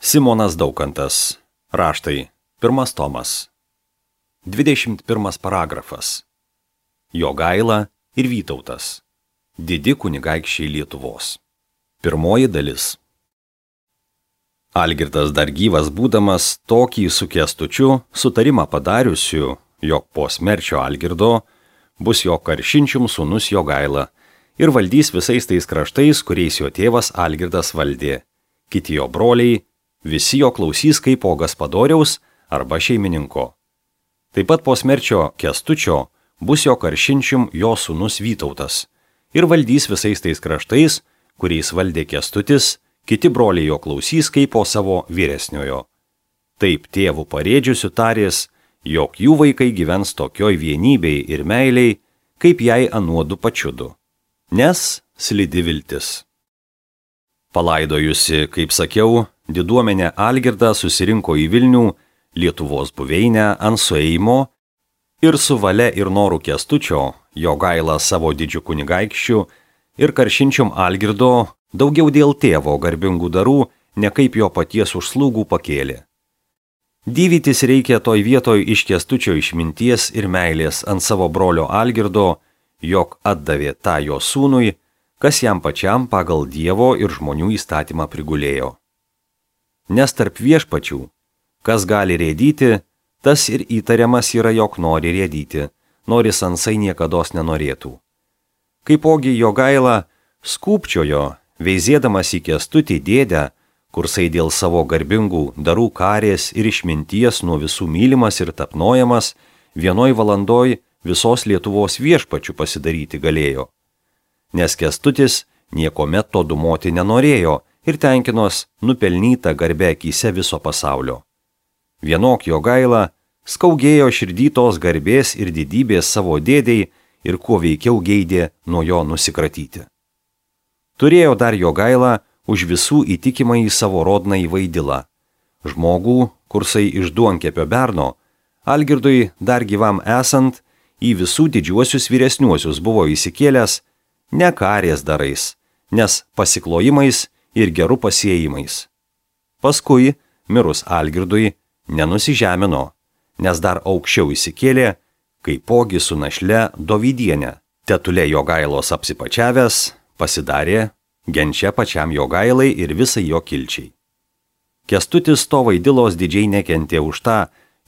Simonas Daukantas. Raštai. 1 tomas. 21 paragrafas. Jogaila ir Vytautas. Didi kunigaikščiai Lietuvos. Pirmoji dalis. Algirdas dar gyvas būdamas tokį su Kęstučiu sutarimą padariusiu, jog po smerčio Algirdo bus jo karšinčium sūnus Jogaila ir valdys visais tais kraštais, kuriais jo tėvas Algirdas valdė. Kiti jo broliai, visi jo klausys kaip po gaspadoriaus arba šeimininko. Taip pat po smerčio Kęstučio bus jo karšinčium jo sūnus Vytautas ir valdys visais tais kraštais, kuriais valdė Kęstutis, kiti broliai jo klausys kaip po savo vyresniojo. Taip tėvų parėdžiusių tarės, jog jų vaikai gyvens tokioj vienybei ir meiliai, kaip jai anuodu pačiudu, nes slidi viltis. Palaidojusi, kaip sakiau, diduomenė Algirdą susirinko į Vilnių, Lietuvos buveinę ant suėjimo ir su valia ir noru Kęstučio, Jogaila savo didžiu kunigaikščiu ir karšinčium Algirdo daugiau dėl tėvo garbingų darų, ne kaip jo paties užslūgų pakėlė. Dyvytis reikia toj vietoj iš Kęstučio išminties ir meilės ant savo brolio Algirdo, jog atdavė tą jo sūnui, kas jam pačiam pagal Dievo ir žmonių įstatymą prigulėjo. Nes tarp viešpačių, kas gali rėdyti, tas ir įtariamas yra, jog nori rėdyti, nors ansai niekados nenorėtų. Kaipogi Jogaila skūpčiojo, veizėdamas į Kęstutį dėdę, kursai dėl savo garbingų darų karės ir išminties nuo visų mylimas ir tapnojamas, vienoj valandoj visos Lietuvos viešpačių pasidaryti galėjo. Nes Kęstutis niekomet to dumoti nenorėjo ir tenkinos nupelnyta garbė akyse viso pasaulio. Vienok Jogaila skaugėjo širdytos garbės ir didybės savo dėdei ir kuo veikiau geidė nuo jo nusikratyti. Turėjo dar Jogaila už visų įtikimą į savo rodnąjį Vaidilą. Žmogų, kursai iš duonkepio berno, Algirdui dar gyvam esant, į visų didžiuosius vyresniuosius buvo įsikėlęs ne karės darais, nes pasiklojimais ir gerų pasiėjimais. Paskui, mirus Algirdui, nenusižemino, nes dar aukščiau įsikėlė, kaipogi su našle Dovydienė. Tetulė Jogailos apsipačiavęs, pasidarė genčia pačiam Jogailai ir visai jo kilčiai. Kęstutis to Vaidilos didžiai nekentė už tą,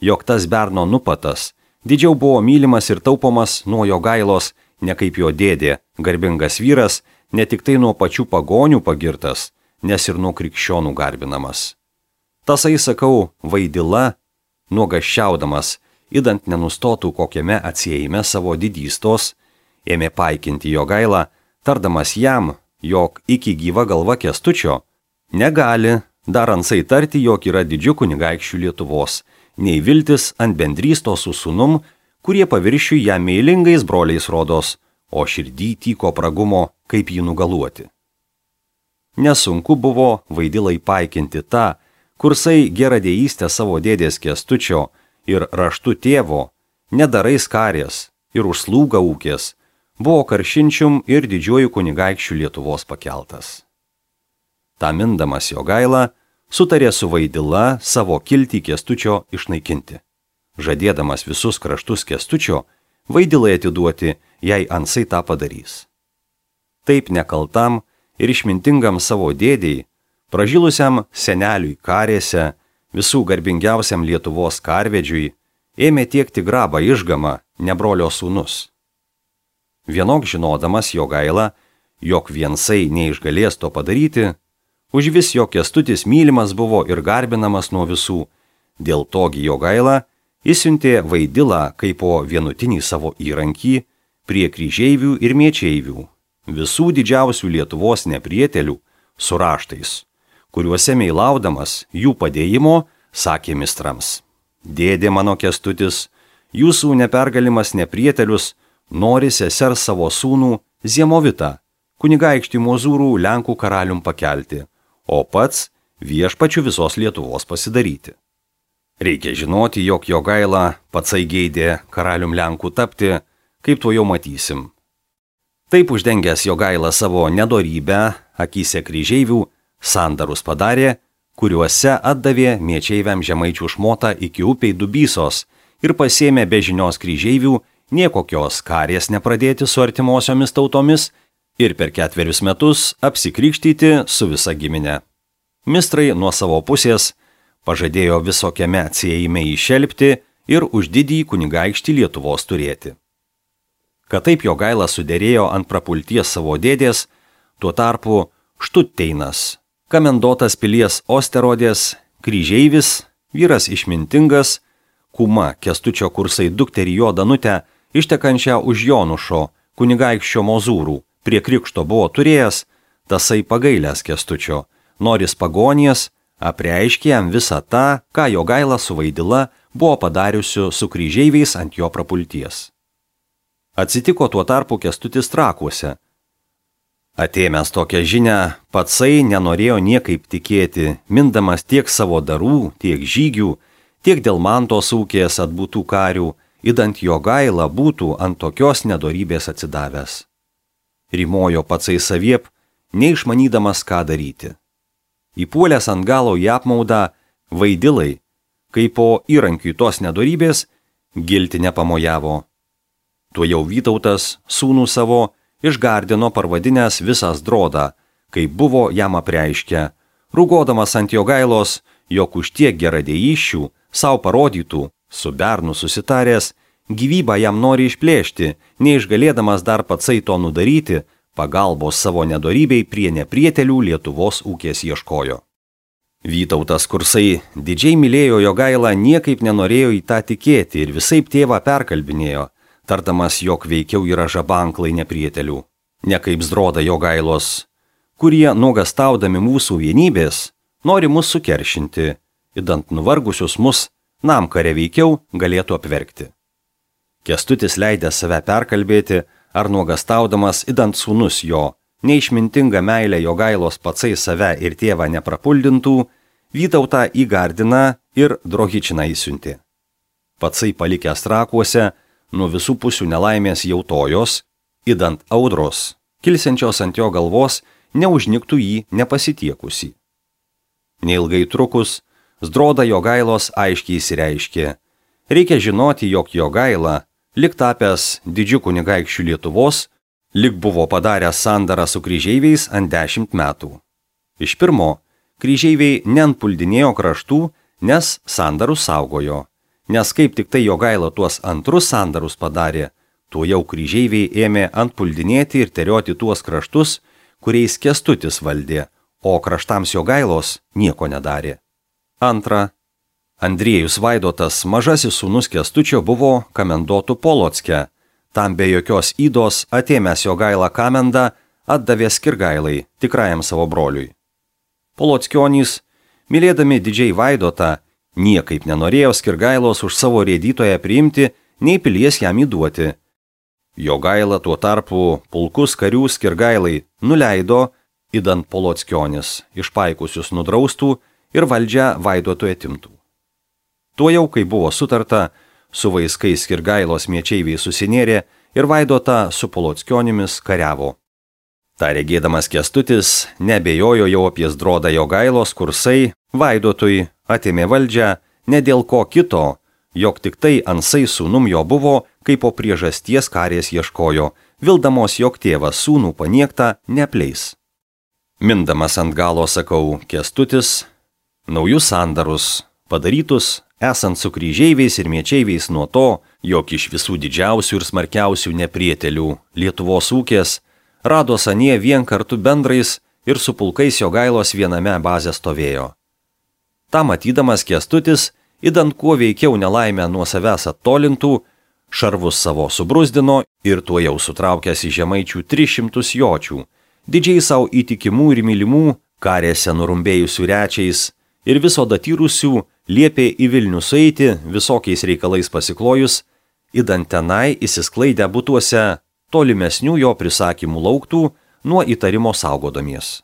jog tas berno nupatas didžiau buvo mylimas ir taupomas nuo Jogailos, ne kaip jo dėdė, garbingas vyras, ne tik tai nuo pačių pagonių pagirtas, nes ir nuo krikščionų garbinamas. Tasai, sakau, Vaidila, nuogaščiaudamas, idant nenustotų kokiame atsiejime savo didystos, ėmė paikinti Jogailą, tardamas jam, jog iki gyva galva Kęstučio negali dar ansai tarti, jog yra didžiu kunigaikščių Lietuvos, nei viltis ant bendrystos su sūnum, kurie paviršių ją meilingais broliais rodos, o širdį tyko pragumo, kaip jį nugaluoti. Nesunku buvo Vaidilai paikinti tą, kursai geradėjystę savo dėdės Kęstučio ir raštu tėvo, nedarais karės ir užslūga ūkės, buvo karšinčium ir didžiuoju kunigaikščių Lietuvos pakeltas. Ta mindamas Jogaila sutarė su Vaidila savo kiltį Kęstučio išnaikinti. Žadėdamas visus kraštus Kęstučio, Vaidilai atiduoti, jei ansai tą padarys. Taip nekaltam ir išmintingam savo dėdei, pražilusiam seneliui karėse, visų garbingiausiam Lietuvos karvedžiui, ėmė tiekti grabą Išgamą, nebrolio sūnus. Vienok žinodamas Jogaila, jog viensai neišgalės to padaryti, užvis jo Kęstutis mylimas buvo ir garbinamas nuo visų, dėl togi Jogaila įsiuntė Vaidilą kaip po vienutinį savo įrankį prie kryžeivių ir miečeivių, visų didžiausių Lietuvos neprietelių su raštais, kuriuose meilaudamas jų padėjimo sakė mistrams: Dėdė mano Kęstutis, jūsų nepergalimas neprietelius nori sesers savo sūnų Ziemovitą, kunigaikštį Mozūrų Lenkų karalium pakelti, o pats viešpačiu visos Lietuvos pasidaryti. Reikia žinoti, jog Jogaila patsai geidė karalium Lenkų tapti, kaip to jau matysim. Taip uždengęs Jogaila savo nedorybę, akyse kryžeivių, sandarus padarė, kuriuose atdavė miečeiviam žemaičių šmotą iki upei Dubysos ir pasėmė be žinios kryžeivių niekokios karės nepradėti su artimosiomis tautomis ir per 4 metus apsikrikštyti su visa giminė. Mistrai nuo savo pusės pažadėjo visokiame atsiejime įšelpti ir už didįjį kunigaikštį Lietuvos turėti. Kad taip Jogaila suderėjo ant prapulties savo dėdės, tuo tarpu Štutteinas, kamendotas pilies Osterodės, kryžeivis, vyras išmintingas, kuma Kęstučio Kursai dukterį jo Danutę, ištekančią už Jonušo, kunigaikščio Mozūrų, prie krikšto buvo turėjęs, tasai pagailęs Kęstučio, noris pagonies, apreiškė jam visą tą, ką Jogaila su Vaidila buvo padariusiu su kryžeiviais ant jo prapulties. Atsitiko tuo tarpu Kęstutis Trakuose. Atėmęs tokią žinią, patsai nenorėjo niekaip tikėti, mindamas tiek savo darų, tiek žygių, tiek dėl Mantos ūkės atbūtų karių, idant Jogaila būtų ant tokios nedorybės atsidavęs. Rimojo patsai saviep, neišmanydamas ką daryti. Įpuolęs ant galo į apmaudą, Vaidilai, kai po įrankiui tos nedorybės, gilti nepamojavo. Tuo jau Vytautas, sūnų savo, išgardino parvadinęs visas drodą, kaip buvo jam apreiškę, rūgodamas ant Jogailos, jog už tiek geradėjyščių savo parodytų, su bernu susitaręs, gyvybą jam nori išplėšti, neišgalėdamas dar patsai to nudaryti, pagalbos savo nedorybei prie neprietelių Lietuvos ūkės ieškojo. Vytautas Kursai didžiai mylėjo Jogailą, niekaip nenorėjo į tą tikėti ir visaip tėvą perkalbinėjo, tardamas, jog veikiau yra žabanklai neprietelių, ne kaip Zdroda Jogailos, kurie nuogastaudami mūsų vienybės nori mus sukeršinti, idant nuvargusius mus namkare veikiau galėtų apverkti. Kęstutis leidė save perkalbėti, ar nuogastaudamas idant sūnus jo, neišmintinga meilė Jogailos patsai save ir tėvą neprapuldintų, Vytautą į Gardiną ir Drohičiną įsiuntė. Patsai palikęs Trakuose, nuo visų pusių nelaimės jautojos, idant audros, kilsiančios ant jo galvos, neužniktų jį nepasitiekusį. Neilgai trukus, Zdroda Jogailos aiškiai įsireiškė. Reikia žinoti, jog Jogaila, lik tapęs didžiu kunigaikščiu Lietuvos, lik buvo padaręs sandarą su kryžeiviais ant 10 metų. Iš pirmo, kryžeiviai neantpuldinėjo kraštų, nes sandarus saugojo. Nes kaip tik tai Jogaila tuos antrus sandarus padarė, tuo jau kryžeiviai ėmė antpuldinėti ir terioti tuos kraštus, kuriais Kęstutis valdė, o kraštams Jogailos nieko nedarė. Antra, Andriejus Vaidotas, mažasis sūnus Kęstučio, buvo kamendotų Polocke. Tam be jokios įdos atėmęs Jogailą kamendą atdavė Skirgailai, tikrajam savo broliui. Polockionys, mylėdami didžiai Vaidotą, niekaip nenorėjo Skirgailos už savo rėdytoją priimti, nei pilies jam įduoti. Jogaila tuo tarpu pulkus karių Skirgailai nuleido, idant Polockionis išpaikusius nudraustų ir valdžią Vaidotui atimtų. Tuo jau, kai buvo sutarta, su vaiskais Skirgailos miečeiviai susinėrė ir Vaidotą su Polockionimis kariavo. Ta regėdamas Kęstutis nebejojo jau apie Zdrodą Jogailos Kursai, Vaidotui atėmė valdžią ne dėl ko kito, jog tik tai Ansai sūnum jo buvo, kaip po priežasties karės ieškojo, vildamos, jog tėvas sūnų paniektą neapleis. Mindamas ant galo sakau, Kęstutis, naujus sandarus, padarytus esant su kryžeiviais ir miečeiviais nuo to, jog iš visų didžiausių ir smarkiausių neprietelių Lietuvos ūkės rado anie vien kartu bendrais ir su pulkais Jogailos viename bazę stovėjo. Ta matydamas Kęstutis, idant kuo veikiau nelaimę nuo savęs attolintų, šarvus savo subrusdino ir tuo jau sutraukęs į žemaičių 300 jočių, didžiai savo įtikimų ir mylimų, karėse nurumbėjusių rečiais ir viso datyrusių, liepė į Vilnių sueiti visokiais reikalais pasiklojus, idant tenai įsisklaidę būtuose tolimesnių jo prisakymų lauktų nuo įtarimo saugodamies.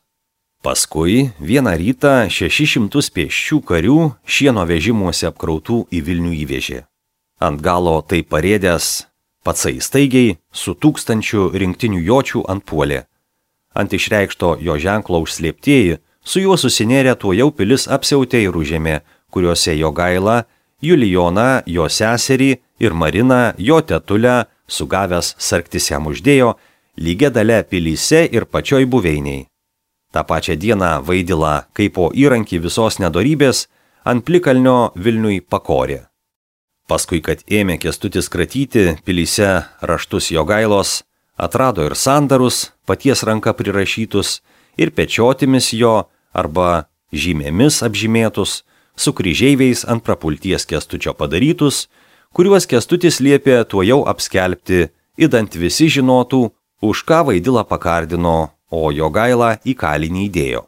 Paskui vieną rytą 600 pėsčių karių šieno vežimuose apkrautų į Vilnių įvežė. Ant galo tai parėdęs, patsai staigiai su 1000 rinktinių jočių antpuolė. Ant išreikšto jo ženklo užslėptieji su juo susinėrę tuojau pilis apsiautė ir užėmė, kuriuose Jogaila, Julijoną, jo seserį ir Mariną, jo tetulę, sugavęs sargtis jam uždėjo, lygia dalia pilyse ir pačioj buveiniai. Ta pačią dieną Vaidilą, kaip po įrankį visos nedorybės, ant plikalnio Vilniui pakorė. Paskui, kad ėmė Kęstutis kratyti pilyse raštus Jogailos, atrado ir sandarus, paties ranka prirašytus, ir pečiotimis jo arba žymėmis apžymėtus, su kryžeiviais ant prapulties Kęstučio padarytus, kuriuos Kęstutis liepė tuojau apskelbti, idant visi žinotų, už ką Vaidilą pakardino, o Jogailą į kalinį įdėjo.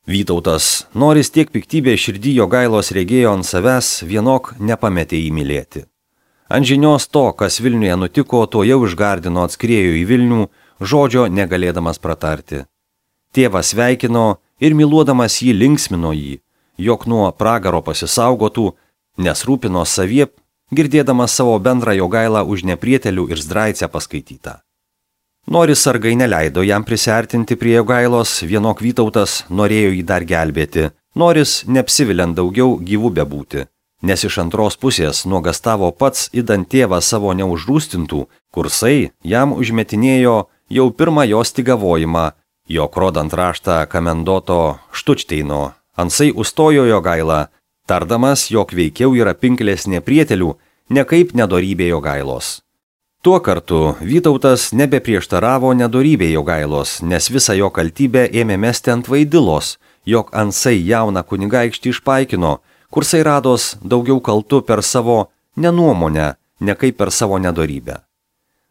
Vytautas, noris tiek piktybė širdį Jogailos regėjo ant savęs, vienok nepametė įmylėti. Ant žinios to, kas Vilniuje nutiko, tuojau išgardino atskriejo į Vilnių, žodžio negalėdamas pratarti. Tėvas sveikino ir myluodamas jį linksmino jį, jog nuo pragaro pasisaugotų, nes rūpino saviep, girdėdamas savo bendrą Jogailą už neprietelių ir zdraicę paskaitytą. Noris sargai neleido jam prisiartinti prie Jogailos, vienok Vytautas norėjo jį dar gelbėti, noris neapsiviliant daugiau gyvų bebūti, nes iš antros pusės nuogastavo pats idant tėvą savo neužrūstintų, kursai jam užmetinėjo jau pirmą jo stigavojimą, jog rodant raštą Kamendoto Štučteino, ansai užstojo Jogailą, tardamas, jog veikiau yra pinklės neprietelių, nekaip nedorybė Jogailos. Tuo kartu Vytautas nebeprieštaravo nedorybė Jogailos, nes visą jo kaltybę ėmė mesti ant Vaidilos, jog ansai jauną kunigaikštį išpaikino, kursai rados daugiau kaltų per savo nenuomonę, ne kaip per savo nedorybę.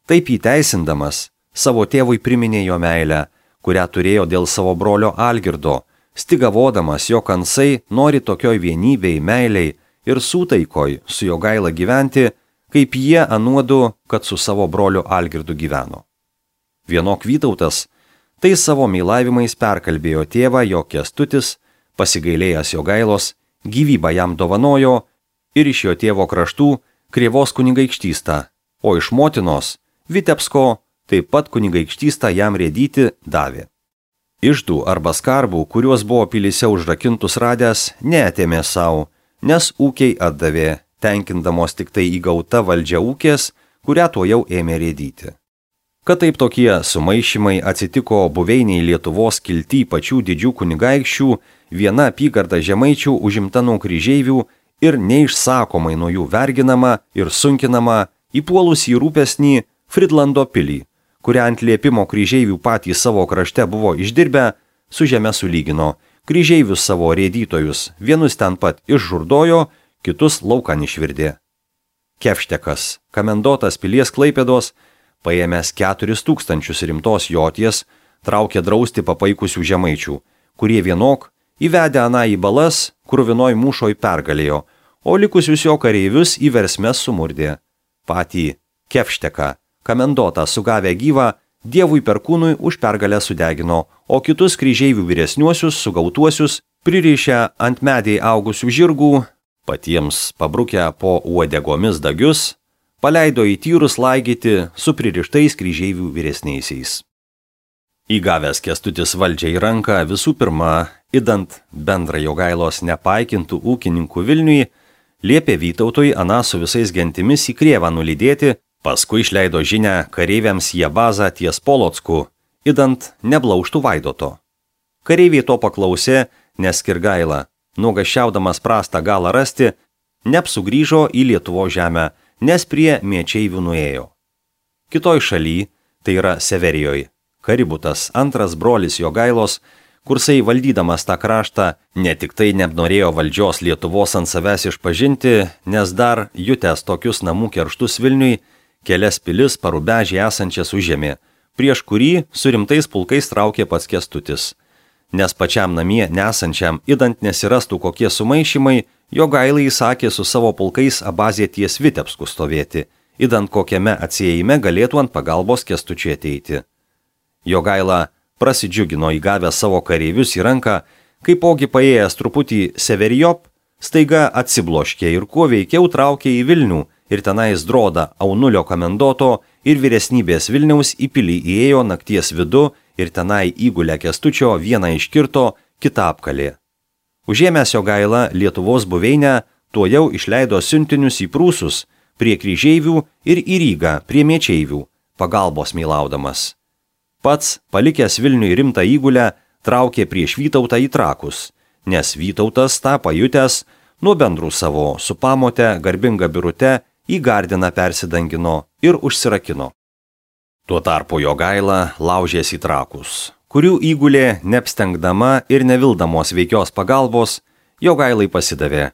Taip įteisindamas, savo tėvui priminė jo meilę, kurią turėjo dėl savo brolio Algirdo, stigavodamas, jog ansai nori tokioj vienybei, meiliai ir sūtaikoj su Jogaila gyventi, kaip jie anuodu, kad su savo broliu Algirdu gyveno. Vienok Vytautas tai savo meilavimais perkalbėjo tėvą, jog Kęstutis, pasigailėjęs Jogailos, gyvybą jam dovanojo ir iš jo tėvo kraštų Krėvos kunigaikštystą, o iš motinos Vitebsko taip pat kunigaikštystą jam rėdyti davė. Iždų arba skarbų, kuriuos buvo pilyse užrakintus radęs, neatėmė savo, nes ūkiai atdavė, tenkindamos tik tai įgauta valdžia ūkės, kurią tuojau ėmė rėdyti. Kad taip tokie sumaišymai atsitiko buveiniai Lietuvos kilty pačių didžių kunigaikščių, viena apygarda žemaičių užimta nuo kryžeivių ir neišsakomai nuo jų verginama ir sunkinama, įpuolus į rūpesnį Fridlando pilį, kurią ant liepimo kryžeivių patys savo krašte buvo išdirbę, su žeme sulygino, kryžeivius savo rėdytojus, vienus ten pat išžurdojo, kitus laukan išvirdė. Kevštekas, Kamendotas pilies Klaipėdos, paėmęs 4000 rimtos joties, traukė drausti papaikusių žemaičių, kurie vienok įvedę aną į balas, kruvinoj mūšoj pergalėjo, o likusius jo kareivius į versmes sumurdė. Patį Kevšteką, Kamendotą sugavę gyvą, Dievui perkūnui už pergalę sudegino, o kitus kryžeivių vyresniuosius sugautuosius pririšę ant medžiai augusių žirgų, patiems pabrukę po uodegomis dagius, paleido į tyrus laigyti su pririštais kryžeivių vyresniaisiais. Įgavęs Kęstutis valdžią į ranką visų pirma, idant bendrą Jogailos nepaikintų ūkininkų Vilniui, liepė Vytautui aną su visais gentimis į Krėvą nulydėti, paskui išleido žinią kareiviams į bazą ties Polocku, idant neblauštų Vaidoto. Kareiviai to paklausė, nes Kirgaila, nuogąsčiaudamas prastą galą rasti, neapsugrįžo į Lietuvo žemę, nes prie Miečeivių nuėjo. Kitoj šaly, tai yra Severijoj, Kaributas, antras brolis Jogailos, kursai valdydamas tą kraštą, ne tik tai nenorėjo valdžios Lietuvos ant savęs išpažinti, nes dar jutęs tokius namų kerštus Vilniui, kelias pilis Parubežį esančias užėmė, prieš kurį su rimtais pulkais traukė pats Kęstutis. Nes pačiam namie nesančiam, idant nesirastų kokie sumaišymai, Jogailai įsakė su savo pulkais abazė ties Vitebsku stovėti, idant kokiame atsiejime galėtų ant pagalbos Kęstučiui ateiti. Jogaila prasidžiugino įgavę savo kareivius į ranką, kaipogi paėjęs truputį Severijop, staiga atsibloškė ir kuo veikiau traukė į Vilnių, ir tenais droda Aunulio Kamendoto ir vyresnybės Vilniaus į pilį įėjo nakties vidu ir tenai įgulę Kęstučio vieną iškirto, kita apkalė. Užėmęs Jogaila Lietuvos buveinę, tuojau išleido siuntinius į Prūsus, prie kryžeivių ir į Rygą, prie Mečeivių, pagalbos meilaudamas. Pats, palikęs Vilniui rimtą įgulę, traukė prieš Vytautą į Trakus, nes Vytautas tą pajutęs nuo bendrų savo su Pamote, garbinga Birute, į Gardiną persidangino ir užsirakino. Tuo tarpu Jogaila laužės į Trakus, kurių įgulė, neapstengdama ir nevildamos veikios pagalbos, Jogailai pasidavė.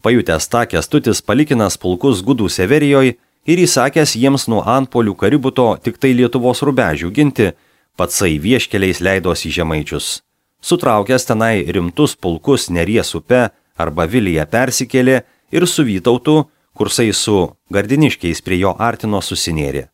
Pajutęs tą Kęstutis palikinas pulkus Gudų Severijoje ir įsakęs jiems nuo antpolių Kaributo tik tai Lietuvos rubežių ginti, patsai vieškeliais leidos į Žemaičius. Sutraukęs tenai rimtus pulkus Neries upe arba Vilyje persikėlė ir su Vytautu, kursai su Gardiniškiais prie jo artino susinėrė.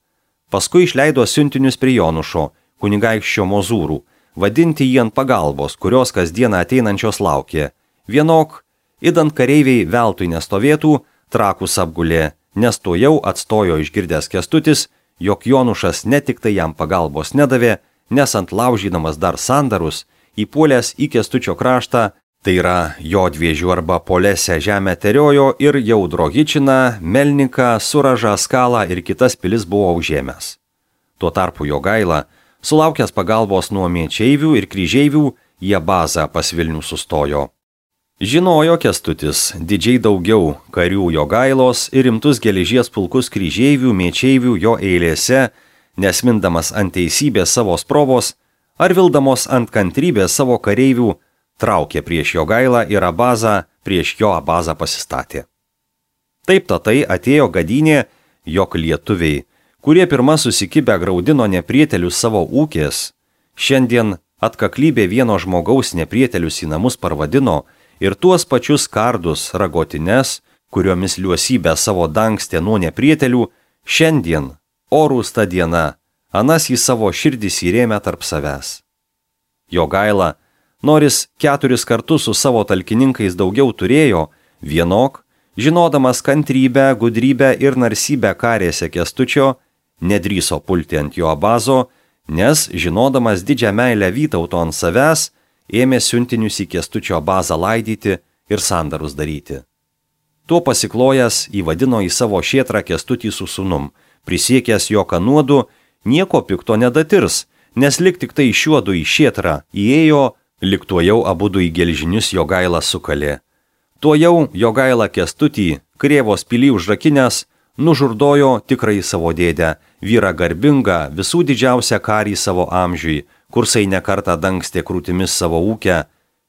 Paskui išleido siuntinius prie Jonušo, kunigaikščio Mozūrų, vadinti jį ant pagalbos, kurios kasdieną ateinančios laukė. Vienok, idant kareiviai veltui nestovėtų, Trakus apgulė, nes to jau atstojo išgirdęs Kęstutis, jog Jonušas ne tik tai jam pagalbos nedavė, nes ant laužydamas dar sandarus, įpuolęs į Kęstučio kraštą, tai yra Jodviežių arba Polesę žemę teriojo ir jau Drohičiną, Melniką, Suražą, Skalą ir kitas pilis buvo užėmęs. Tuo tarpu Jogaila, sulaukęs pagalbos nuo Mečeivių ir Kryžeivių, jie bazą pas Vilnių sustojo. Žinojo Kęstutis didžiai daugiau karių Jogailos ir rimtus geležies pulkus Kryžeivių, Mečeivių jo eilėse, nesmindamas ant teisybės savo sprovos ar vildamos ant kantrybės savo kareivių, traukė prieš Jogailą ir Abazą, prieš jo Abazą pasistatė. Taip tatai atėjo gadynė, jog lietuviai, kurie pirma susikibę graudino neprietelius savo ūkės, šiandien atkaklybė vieno žmogaus neprietelius į namus parvadino ir tuos pačius kardus, ragotines, kuriomis liuosybę savo dangstė nuo neprietelių, šiandien, orūs ta diena, anas į savo širdis įrėmė tarp savęs. Jogaila, noris 4 kartus su savo talkininkais daugiau turėjo, vienok, žinodamas kantrybę, gudrybę ir narsybę karėse Kęstučio, nedrįso pulti ant jo Abazo, nes, žinodamas didžią meilę Vytauto ant savęs, ėmė siuntinius į Kęstučio Abazą laidyti ir sandarus daryti. Tuo pasiklojęs įvadino į savo šėtrą Kęstutį su sūnum, prisiekęs jo kanuodu, nieko pikto nedatirs, nes lik tik tai šiuodu į šėtrą įėjo, lik tuojau abudu į gelžinius Jogaila sukalė. Tuojau Jogaila Kęstutį, Krėvos pilį užrakinęs, nužurdojo tikrai savo dėdę, vyrą garbingą, visų didžiausią karį savo amžiui, kursai nekartą dangstė krūtimis savo ūkę,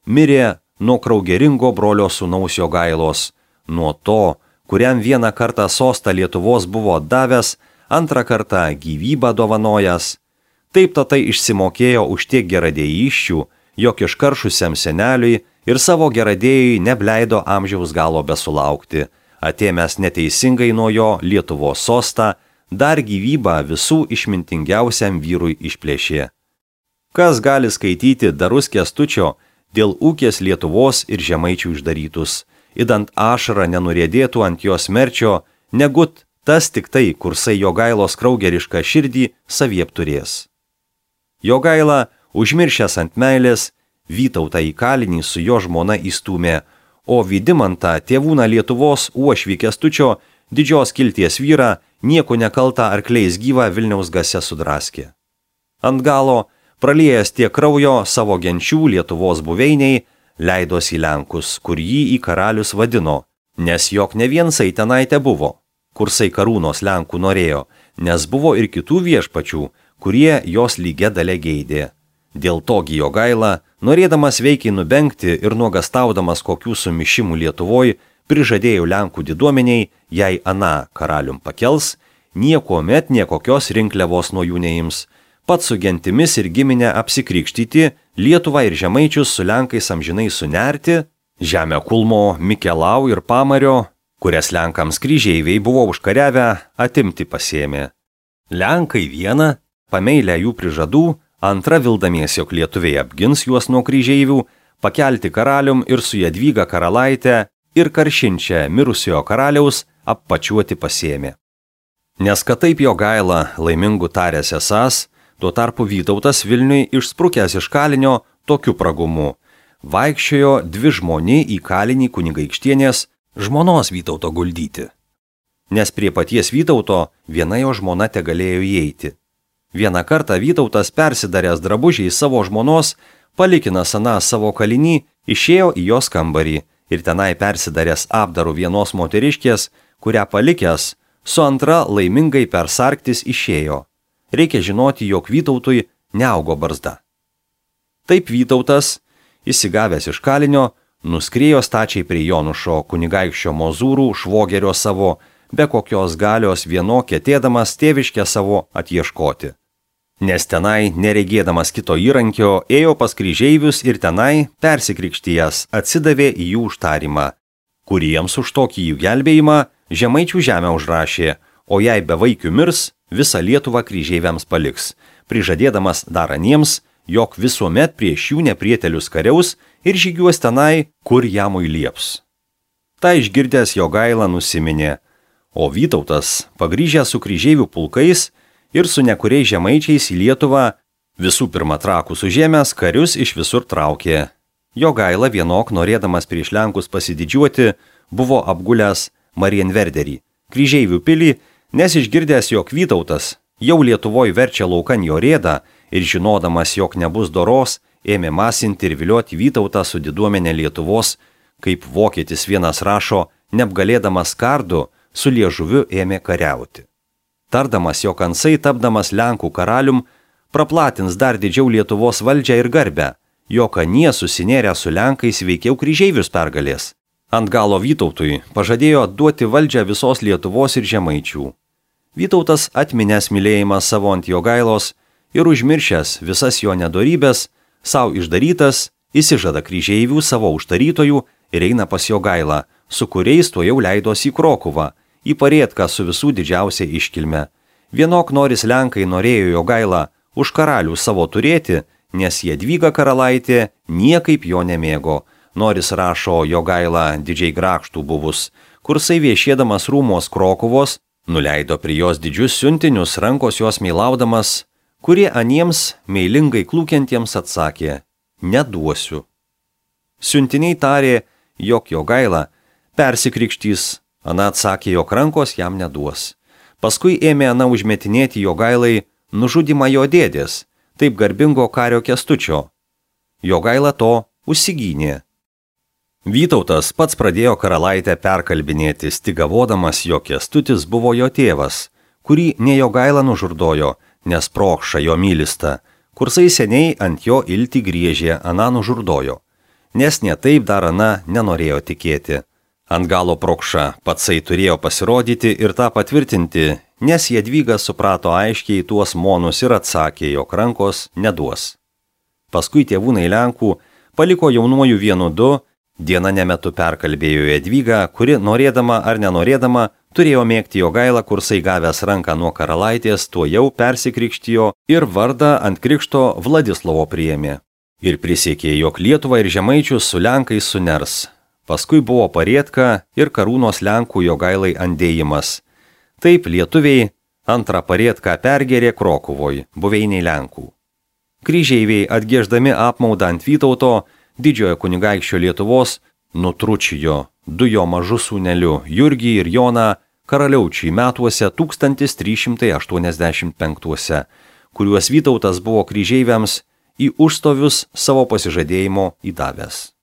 mirė nuo kraugeringo brolio sūnaus Jogailos, nuo to, kuriam vieną kartą sostą Lietuvos buvo davęs, antrą kartą gyvybą dovanojęs. Taip tatai išsimokėjo už tiek geradėjyščių, jog iškaršusiam seneliui ir savo geradėjui nebleido amžiaus galo besulaukti, atėmęs neteisingai nuo jo Lietuvos sostą, dar gyvybą visų išmintingiausiam vyrui išplėšė. Kas gali skaityti darus Kęstučio dėl ūkės Lietuvos ir Žemaičių išdarytus, idant ašara nenuriedėtų ant jos merčio, negut tas tik tai, kursai Jogailos kraugerišką širdį saviepturės. Jogaila, užmiršęs ant meilės, Vytautą į kalinį su jo žmona įstūmė, o Vidimantą, tėvūną Lietuvos uošvį Kęstučio, didžios kilties vyrą, nieko nekaltą arkliais gyvą Vilniaus gase sudraskė. Ant galo, praliejęs tiek kraujo savo genčių Lietuvos buveiniai, leidosi į Lenkus, kur jį į karalius vadino, nes jog ne viensai tenai te buvo, kursai karūnos Lenkų norėjo, nes buvo ir kitų viešpačių, kurie jos lygia dalė geidė. Dėl togi Jogaila, norėdamas veikiai nubengti ir nuogastaudamas kokių sumišimų Lietuvoj, prižadėjo Lenkų diduomeniai, jei ana karalium pakels, niekuomet niekokios rinkliavos nuo jų neims, pats su gentimis ir giminę apsikrikštyti, Lietuvą ir Žemaičius su Lenkais amžinai sunerti, žemę Kulmo, Mikelau ir Pamario, kurias Lenkams kryžeiviai buvo užkariavę, atimti pasėmė. Lenkai vieną, pameilę jų prižadų, antra vildamiesi, jog lietuviai apgins juos nuo kryžeivių, pakelti karalium ir su Jadvyga karalaitę ir karšinčią mirusiojo karaliaus appačiuoti pasėmė. Nes kad taip Jogaila laimingų taręs esąs, tuo tarpu Vytautas Vilniui išsprukęs iš kalinio tokiu pragumu. vaikščiojo 2 žmoni į kalinį kunigaikštienės žmonos Vytauto guldyti. Nes prie paties Vytauto viena jo žmona tegalėjo įeiti. Vieną kartą Vytautas, persidaręs drabužiai savo žmonos, palikinas aną savo kalinį, išėjo į jos kambarį ir tenai persidaręs apdaru vienos moteriškės, kurią palikęs, su antra laimingai persarktis išėjo. Reikia žinoti, jog Vytautui neaugo barzda. Taip Vytautas, įsigavęs iš kalinio, nuskriejo stačiai prie Jonušo kunigaikščio Mozūrų švogerio savo, be kokios galios vieno ketėdamas tėviškę savo atieškoti. Nes tenai, neregėdamas kito įrankio, ėjo pas kryžeivius ir tenai, persikrikštijęs, atsidavė į jų užtarimą, kuriems už tokį jų gelbėjimą žemaičių žemę užrašė, o jei be vaikių mirs, visą Lietuvą kryžeiviams paliks, prižadėdamas dar aniems, jog visuomet prieš jų neprietelius kariaus ir žygiuos tenai, kur jamui lieps. Ta išgirdęs Jogaila nusiminė, o Vytautas, pagrįžęs su kryžeivių pulkais ir su nekuriais žemaičiais į Lietuvą, visų pirma Trakus užėmęs karius iš visur traukė. Jogaila vienok, norėdamas prieš Lenkus pasididžiuoti, buvo apgulęs Marienverderį, kryžeivių pilį, nes išgirdęs, jog Vytautas jau Lietuvoje verčia laukan jo rėdą ir žinodamas, jog nebus doros, ėmė masinti ir vilioti Vytautą su diduomenė Lietuvos, kaip vokietis vienas rašo, neapgalėdamas kardu, su liežuviu ėmė kariauti. Tardamas, jog Ansai, tapdamas Lenkų karalium, praplatins dar didžiau Lietuvos valdžią ir garbę, jog anie susinėrę su Lenkais veikiau kryžeivius pergalės. Ant galo Vytautui pažadėjo duoti valdžią visos Lietuvos ir žemaičių. Vytautas, atminęs mylėjimą savo ant Jogailos ir užmiršęs visas jo nedorybės, savo išdarytas, įsižada kryžeivių savo užtarytojų ir eina pas Jogailą, su kuriais to jau leidosi į Krokuvą, į Parietką su visų didžiausia iškilme. Vienok noris Lenkai norėjo Jogailą už karalių savo turėti, nes Jadvyga karalaitė niekaip jo nemėgo. Noris rašo Jogaila didžiai grakštų buvus, kursai viešėdamas rūmos Krokuvos, nuleido prie jos didžius siuntinius, rankos jos meilaudamas, kurie aniems meilingai klūkiantiems atsakė, neduosiu. Siuntiniai tarė, jog Jogaila persikrikštys, ana atsakė, jog rankos jam neduos. Paskui ėmė ana užmetinėti Jogailai nužudymą jo dėdės, taip garbingo kario Kęstučio. Jogaila to užsigynė. Vytautas pats pradėjo karalaitę perkalbinėti, stigavodamas, jog Kęstutis buvo jo tėvas, kurį ne Jogaila nužurdojo, nes Prokša jo mylista, kursai seniai ant jo iltį griežė, ana nužurdojo, nes ne taip dar ana nenorėjo tikėti. Ant galo Prokša patsai turėjo pasirodyti ir tą patvirtinti, nes Jadvyga suprato aiškiai tuos monus ir atsakė, jog rankos neduos. Paskui tėvūnai Lenkų paliko jaunuoju 1-2, diena nemetu perkalbėjo Jadvygą, kuri norėdama ar nenorėdama turėjo mėgti Jogailą, kursai gavęs ranką nuo karalaitės, tuo jau persikrikštijo ir vardą ant krikšto Vladislovo priėmė. Ir prisiekė, jog Lietuvą ir žemaičius su Lenkais suners. Paskui buvo Parietka ir karūnos Lenkų Jogailai andėjimas. Taip lietuviai antrą Parietką pergėrė Krokuvoj, buveiniai Lenkų. Kryžeiviai, atgieždami apmaudą ant Vytauto, didžiojo kunigaikščio Lietuvos, nutručijo 2 jo mažus sūnelių Jurgį ir Joną karaliaučiai metuose 1385, kuriuos Vytautas buvo kryžeiviams į užstovius savo pasižadėjimo įdavęs.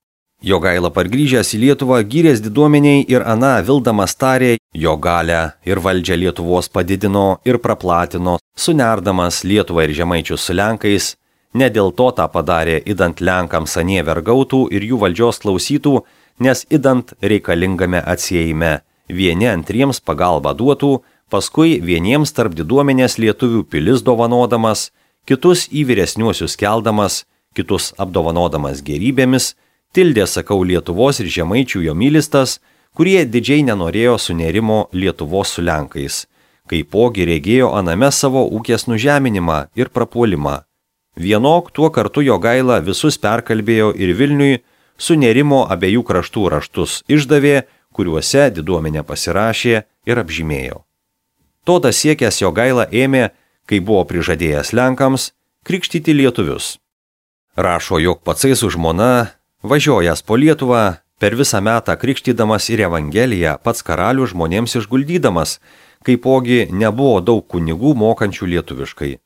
Jogaila pargrįžęs į Lietuvą gyrės diduomeniai ir ana vildamas tarė, jo galę ir valdžią Lietuvos padidino ir praplatino, sunerdamas Lietuvą ir žemaičius su Lenkais. Ne dėl to tą padarė, idant Lenkams anie vergautų ir jų valdžios klausytų, nes idant reikalingame atsiejime vieni antriems pagalbą duotų, paskui vieniems tarp diduomenės lietuvių pilis dovanodamas, kitus į vyresniuosius keldamas, kitus apdovanodamas gerybėmis, tildė, sakau, Lietuvos ir žemaičių jo mylistas, kurie didžiai nenorėjo sunerimo Lietuvos su Lenkais, kaipogi regėjo aname savo ūkės nužeminimą ir prapuolimą. Vienok tuo kartu Jogaila visus perkalbėjo ir Vilniui sunerimo abiejų kraštų raštus išdavė, kuriuose diduomenė pasirašė ir apžymėjo. Toda siekęs Jogaila ėmė, kai buvo prižadėjęs Lenkams, krikštyti lietuvius. Rašo, jog patsai su žmona Važiuojas po Lietuvą, per visą metą krikštydamas ir Evangeliją, pats karalius žmonėms išguldydamas, kaipogi nebuvo daug kunigų mokančių lietuviškai.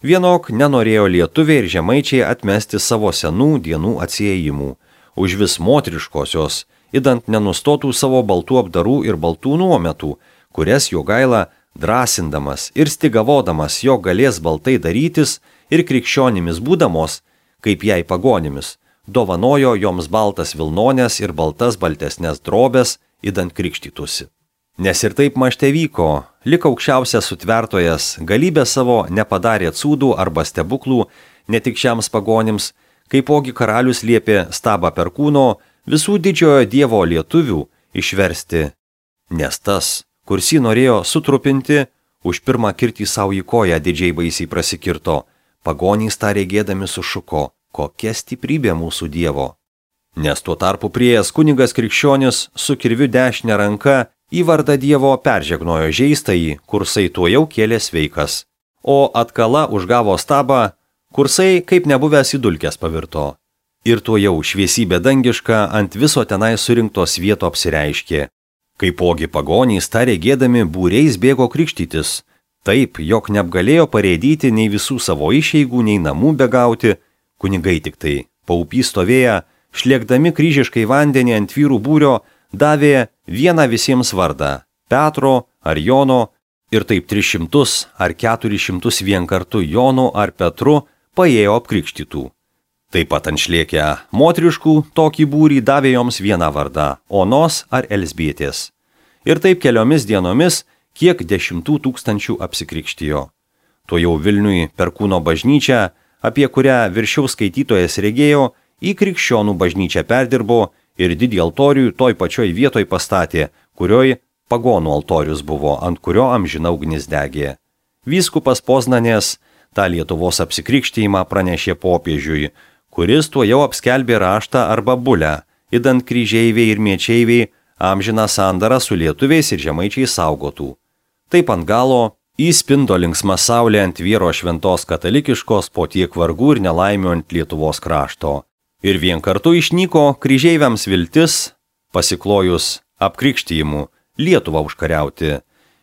Vienok nenorėjo lietuviai ir žemaičiai atmesti savo senų dienų atsiejimų, užvis moteriškosios, idant nenustotų savo baltų apdarų ir baltų nuometų, kurias Jogaila drąsindamas ir stigavodamas, jog galės baltai darytis ir krikščionimis būdamos, kaip jai pagonimis, dovanojo joms baltas vilnonės ir baltas baltesnės drobės, idant krikštytųsi. Nes ir taip mašte vyko, lik aukščiausias sutvertojas, galybę savo nepadarė cūdų arba stebuklų, ne tik šiems pagonims, kaipogi karalius liepė Stabą Perkūno visų didžiojo dievo lietuvių išversti, nes tas, kursi norėjo sutrupinti, už pirmą kirtį savo į koją didžiai baisiai prasikirto, pagonys tą regėdami sušuko, kokia stiprybė mūsų dievo. Nes tuo tarpu priėjęs kunigas krikščionis su kirviu dešinę ranką į vardą dievo peržegnojo žeistąjį, kursai tuo jau kėlė sveikas, o atkala užgavo Stabą, kursai kaip nebuvęs į dulkes pavirto. Ir tuo jau šviesybė dangiška ant viso tenai surinktos vieto apsireiškė. Kaipogi pagonys tą regėdami būriais bėgo krikštytis, taip, jog neapgalėjo parėdyti nei visų savo išeigų, nei namų begauti, kunigai tik tai, paupy stovėję, šlėkdami kryžiškai vandenį ant vyrų būrio, davė vieną visiems vardą – Petro ar Jono, ir taip 300 ar 400 vien kartu Jonu ar Petru paėjo apkrikštytų. Taip pat ant šlėkę moteriškų tokį būrį davė joms vieną vardą – Onos ar Elsbietės. Ir taip keliomis dienomis kiek 10 000 apsikrikštijo. Tuo jau Vilniui Perkūno bažnyčią, apie kurią viršiau skaitytojas regėjo, į krikščionų bažnyčią perdirbo ir didį altorių toj pačioj vietoj pastatė, kurioj pagonų altorius buvo, ant kurio amžina ugnis degė. Vyskupas Poznanės tą Lietuvos apsikrikštijimą pranešė popiežiui, kuris tuo jau apskelbė raštą arba bulę, idant kryžeiviai ir miečeiviai amžiną sandarą su lietuviais ir žemaičiais saugotų. Taip ant galo įspindo linksma saulė ant vyro šventos katalikiškos po tiek vargų ir nelaimių ant Lietuvos krašto. Ir vien kartu išnyko kryžeiviams viltis, pasiklojus apkrikštijimu, Lietuvą užkariauti.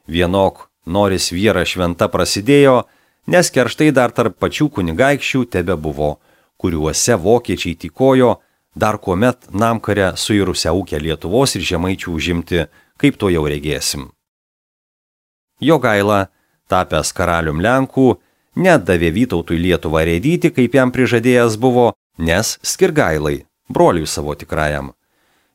Vienok noris vyra šventa prasidėjo, nes kerštai dar tarp pačių kunigaikščių tebe buvo, kuriuose vokiečiai tykojo, dar kuomet namkare suirusią ūkę Lietuvos ir žemaičių užimti, kaip to jau regėsim. Jogaila, tapęs karalium Lenkų, nedavė Vytautui Lietuvą rėdyti, kaip jam prižadėjęs buvo, nes Skirgailai, broliui savo tikrajam.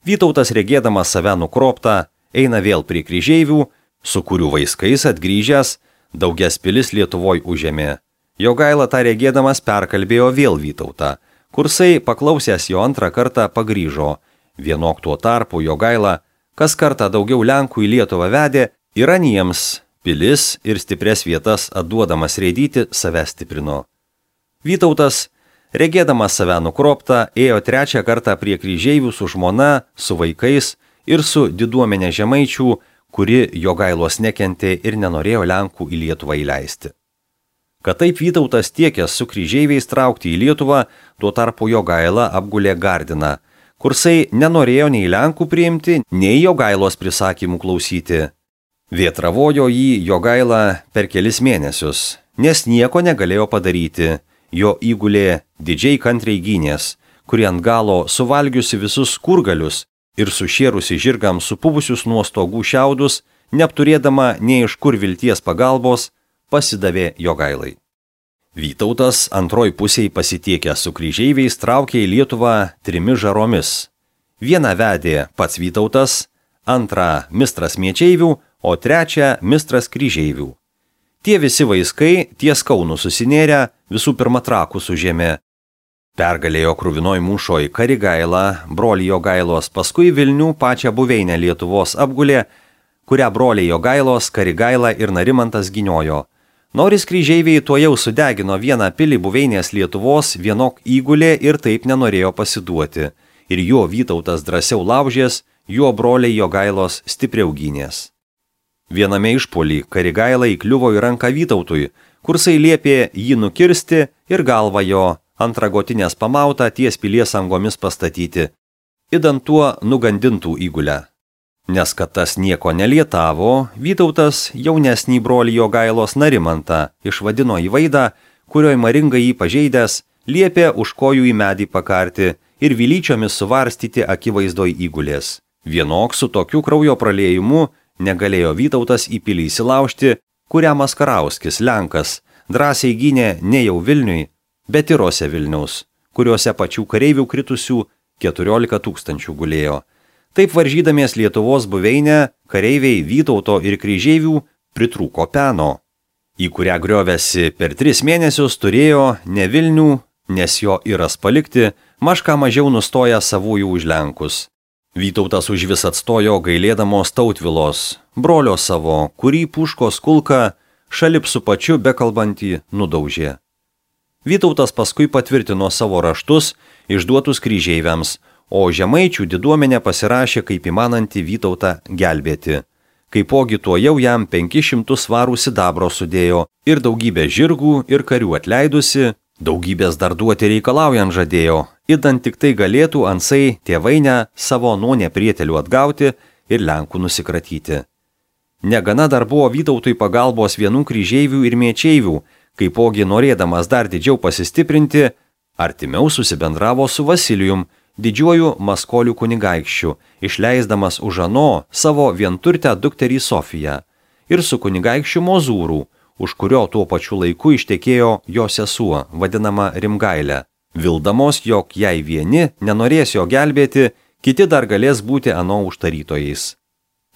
Vytautas regėdamas save nukroptą, eina vėl prie kryžeivių, su kurių vaiskais atgrįžęs, daugias pilis Lietuvoj užėmė. Jogaila tą regėdamas perkalbėjo vėl Vytautą, kursai paklausęs jo antrą kartą pagrįžo. Vienok tuo tarpu Jogaila, kas kartą daugiau Lenkų į Lietuvą vedė, ir aniems pilis ir stipres vietas atduodamas rėdyti save stiprino. Vytautas, regėdamas save nukroptą, ėjo trečią kartą prie kryžeivių su žmona, su vaikais ir su diduomenė žemaičių, kuri Jogailos nekentė ir nenorėjo Lenkų į Lietuvą įleisti. Kad taip Vytautas tiekęs su kryžeiviais traukti į Lietuvą, tuo tarpu Jogaila apgulė Gardiną, kursai nenorėjo nei Lenkų priimti, nei Jogailos prisakymų klausyti. Vėtravojo jį Jogaila per kelis mėnesius, nes nieko negalėjo padaryti. Jo įgulė didžiai kantriai gynės, kuri ant galo suvalgiusi visus kurgalius ir sušėrusi žirgams supuvusius nuo stogų šiaudus, neapturėdama nei iš kur vilties pagalbos, pasidavė Jogailai. Vytautas antroj pusėj pasitiekęs su kryžeiviais traukė į Lietuvą 3 žaromis. Vieną vedė pats Vytautas, antrą mistras miečeivių, o trečią mistras kryžeivių. Tie visi vaiskai ties Kaunu susinėrę visų pirma Trakus užėmė. Pergalėjo krūvinoj mūšoj Karigailą, brolį Jogailos, paskui Vilnių pačią buveinę Lietuvos apgulė, kurią broliai Jogailos, Karigaila ir Narimantas gyniojo. Noris kryžeiviai tuo jau sudegino vieną pilį buveinės Lietuvos, vienok įgulė ir taip nenorėjo pasiduoti. Ir jo Vytautas drąsiau laužės, jo broliai Jogailos stipriau gynės. Viename išpuolį Karigaila įkliuvo į ranką Vytautui, kursai liepė jį nukirsti ir galvą jo ant ragotinės pamautą ties pilies angomis pastatyti, idant tuo nugandintų įgulę. Nes kad tas nieko nelietavo, Vytautas jaunesnį brolį Jogailos Narimantą išvadino į vaidą, kurioj maringai jį pažeidęs, liepė už kojų į medį pakarti ir vilyčiomis suvarstyti akivaizdoj įgulės. Vienok su tokiu kraujo praliejimu negalėjo Vytautas į pilį įsilaužti, kurią Maskarauskis, Lenkas, drąsiai gynė ne jau Vilniui, bet Irose Vilniaus, kuriuose pačių kareivių kritusių 14 000 gulėjo. Taip varžydamies Lietuvos buveinę, kareiviai Vytauto ir kryžeivių pritrūko peno, į kurią griovėsi per 3 mėnesius turėjo ne Vilnių, nes jo Iras palikti, mažką mažiau nustoja savųjų už Lenkus. Vytautas už vis atstojo gailėdamos Tautvilos, brolio savo, kurį puškos kulka šalip su pačiu bekalbantį nudaužė. Vytautas paskui patvirtino savo raštus išduotus kryžeiviams, o žemaičių diduomenė pasirašė kaip įmanantį Vytautą gelbėti. Kaipogi tuo jau jam 500 svarų sidabro sudėjo ir daugybę žirgų ir karių atleidusi, daugybės dar duoti reikalaujant žadėjo, idant tik tai galėtų ansai tėvainę savo nuo neprietelių atgauti ir Lenkų nusikratyti. Negana dar buvo Vytautui pagalbos vienų kryžeivių ir mėčeivių, kaipogi norėdamas dar didžiau pasistiprinti, artimiau susibendravo su Vasilijum, didžiuoju Maskolių kunigaikščiu, išleisdamas už ano savo vienturtę dukterį Sofiją, ir su kunigaikščiu Mozūrų, už kurio tuo pačiu laiku ištekėjo jo sesuo, vadinama Rimgailė, vildamos, jog jei vieni nenorės jo gelbėti, kiti dar galės būti ano užtarytojais.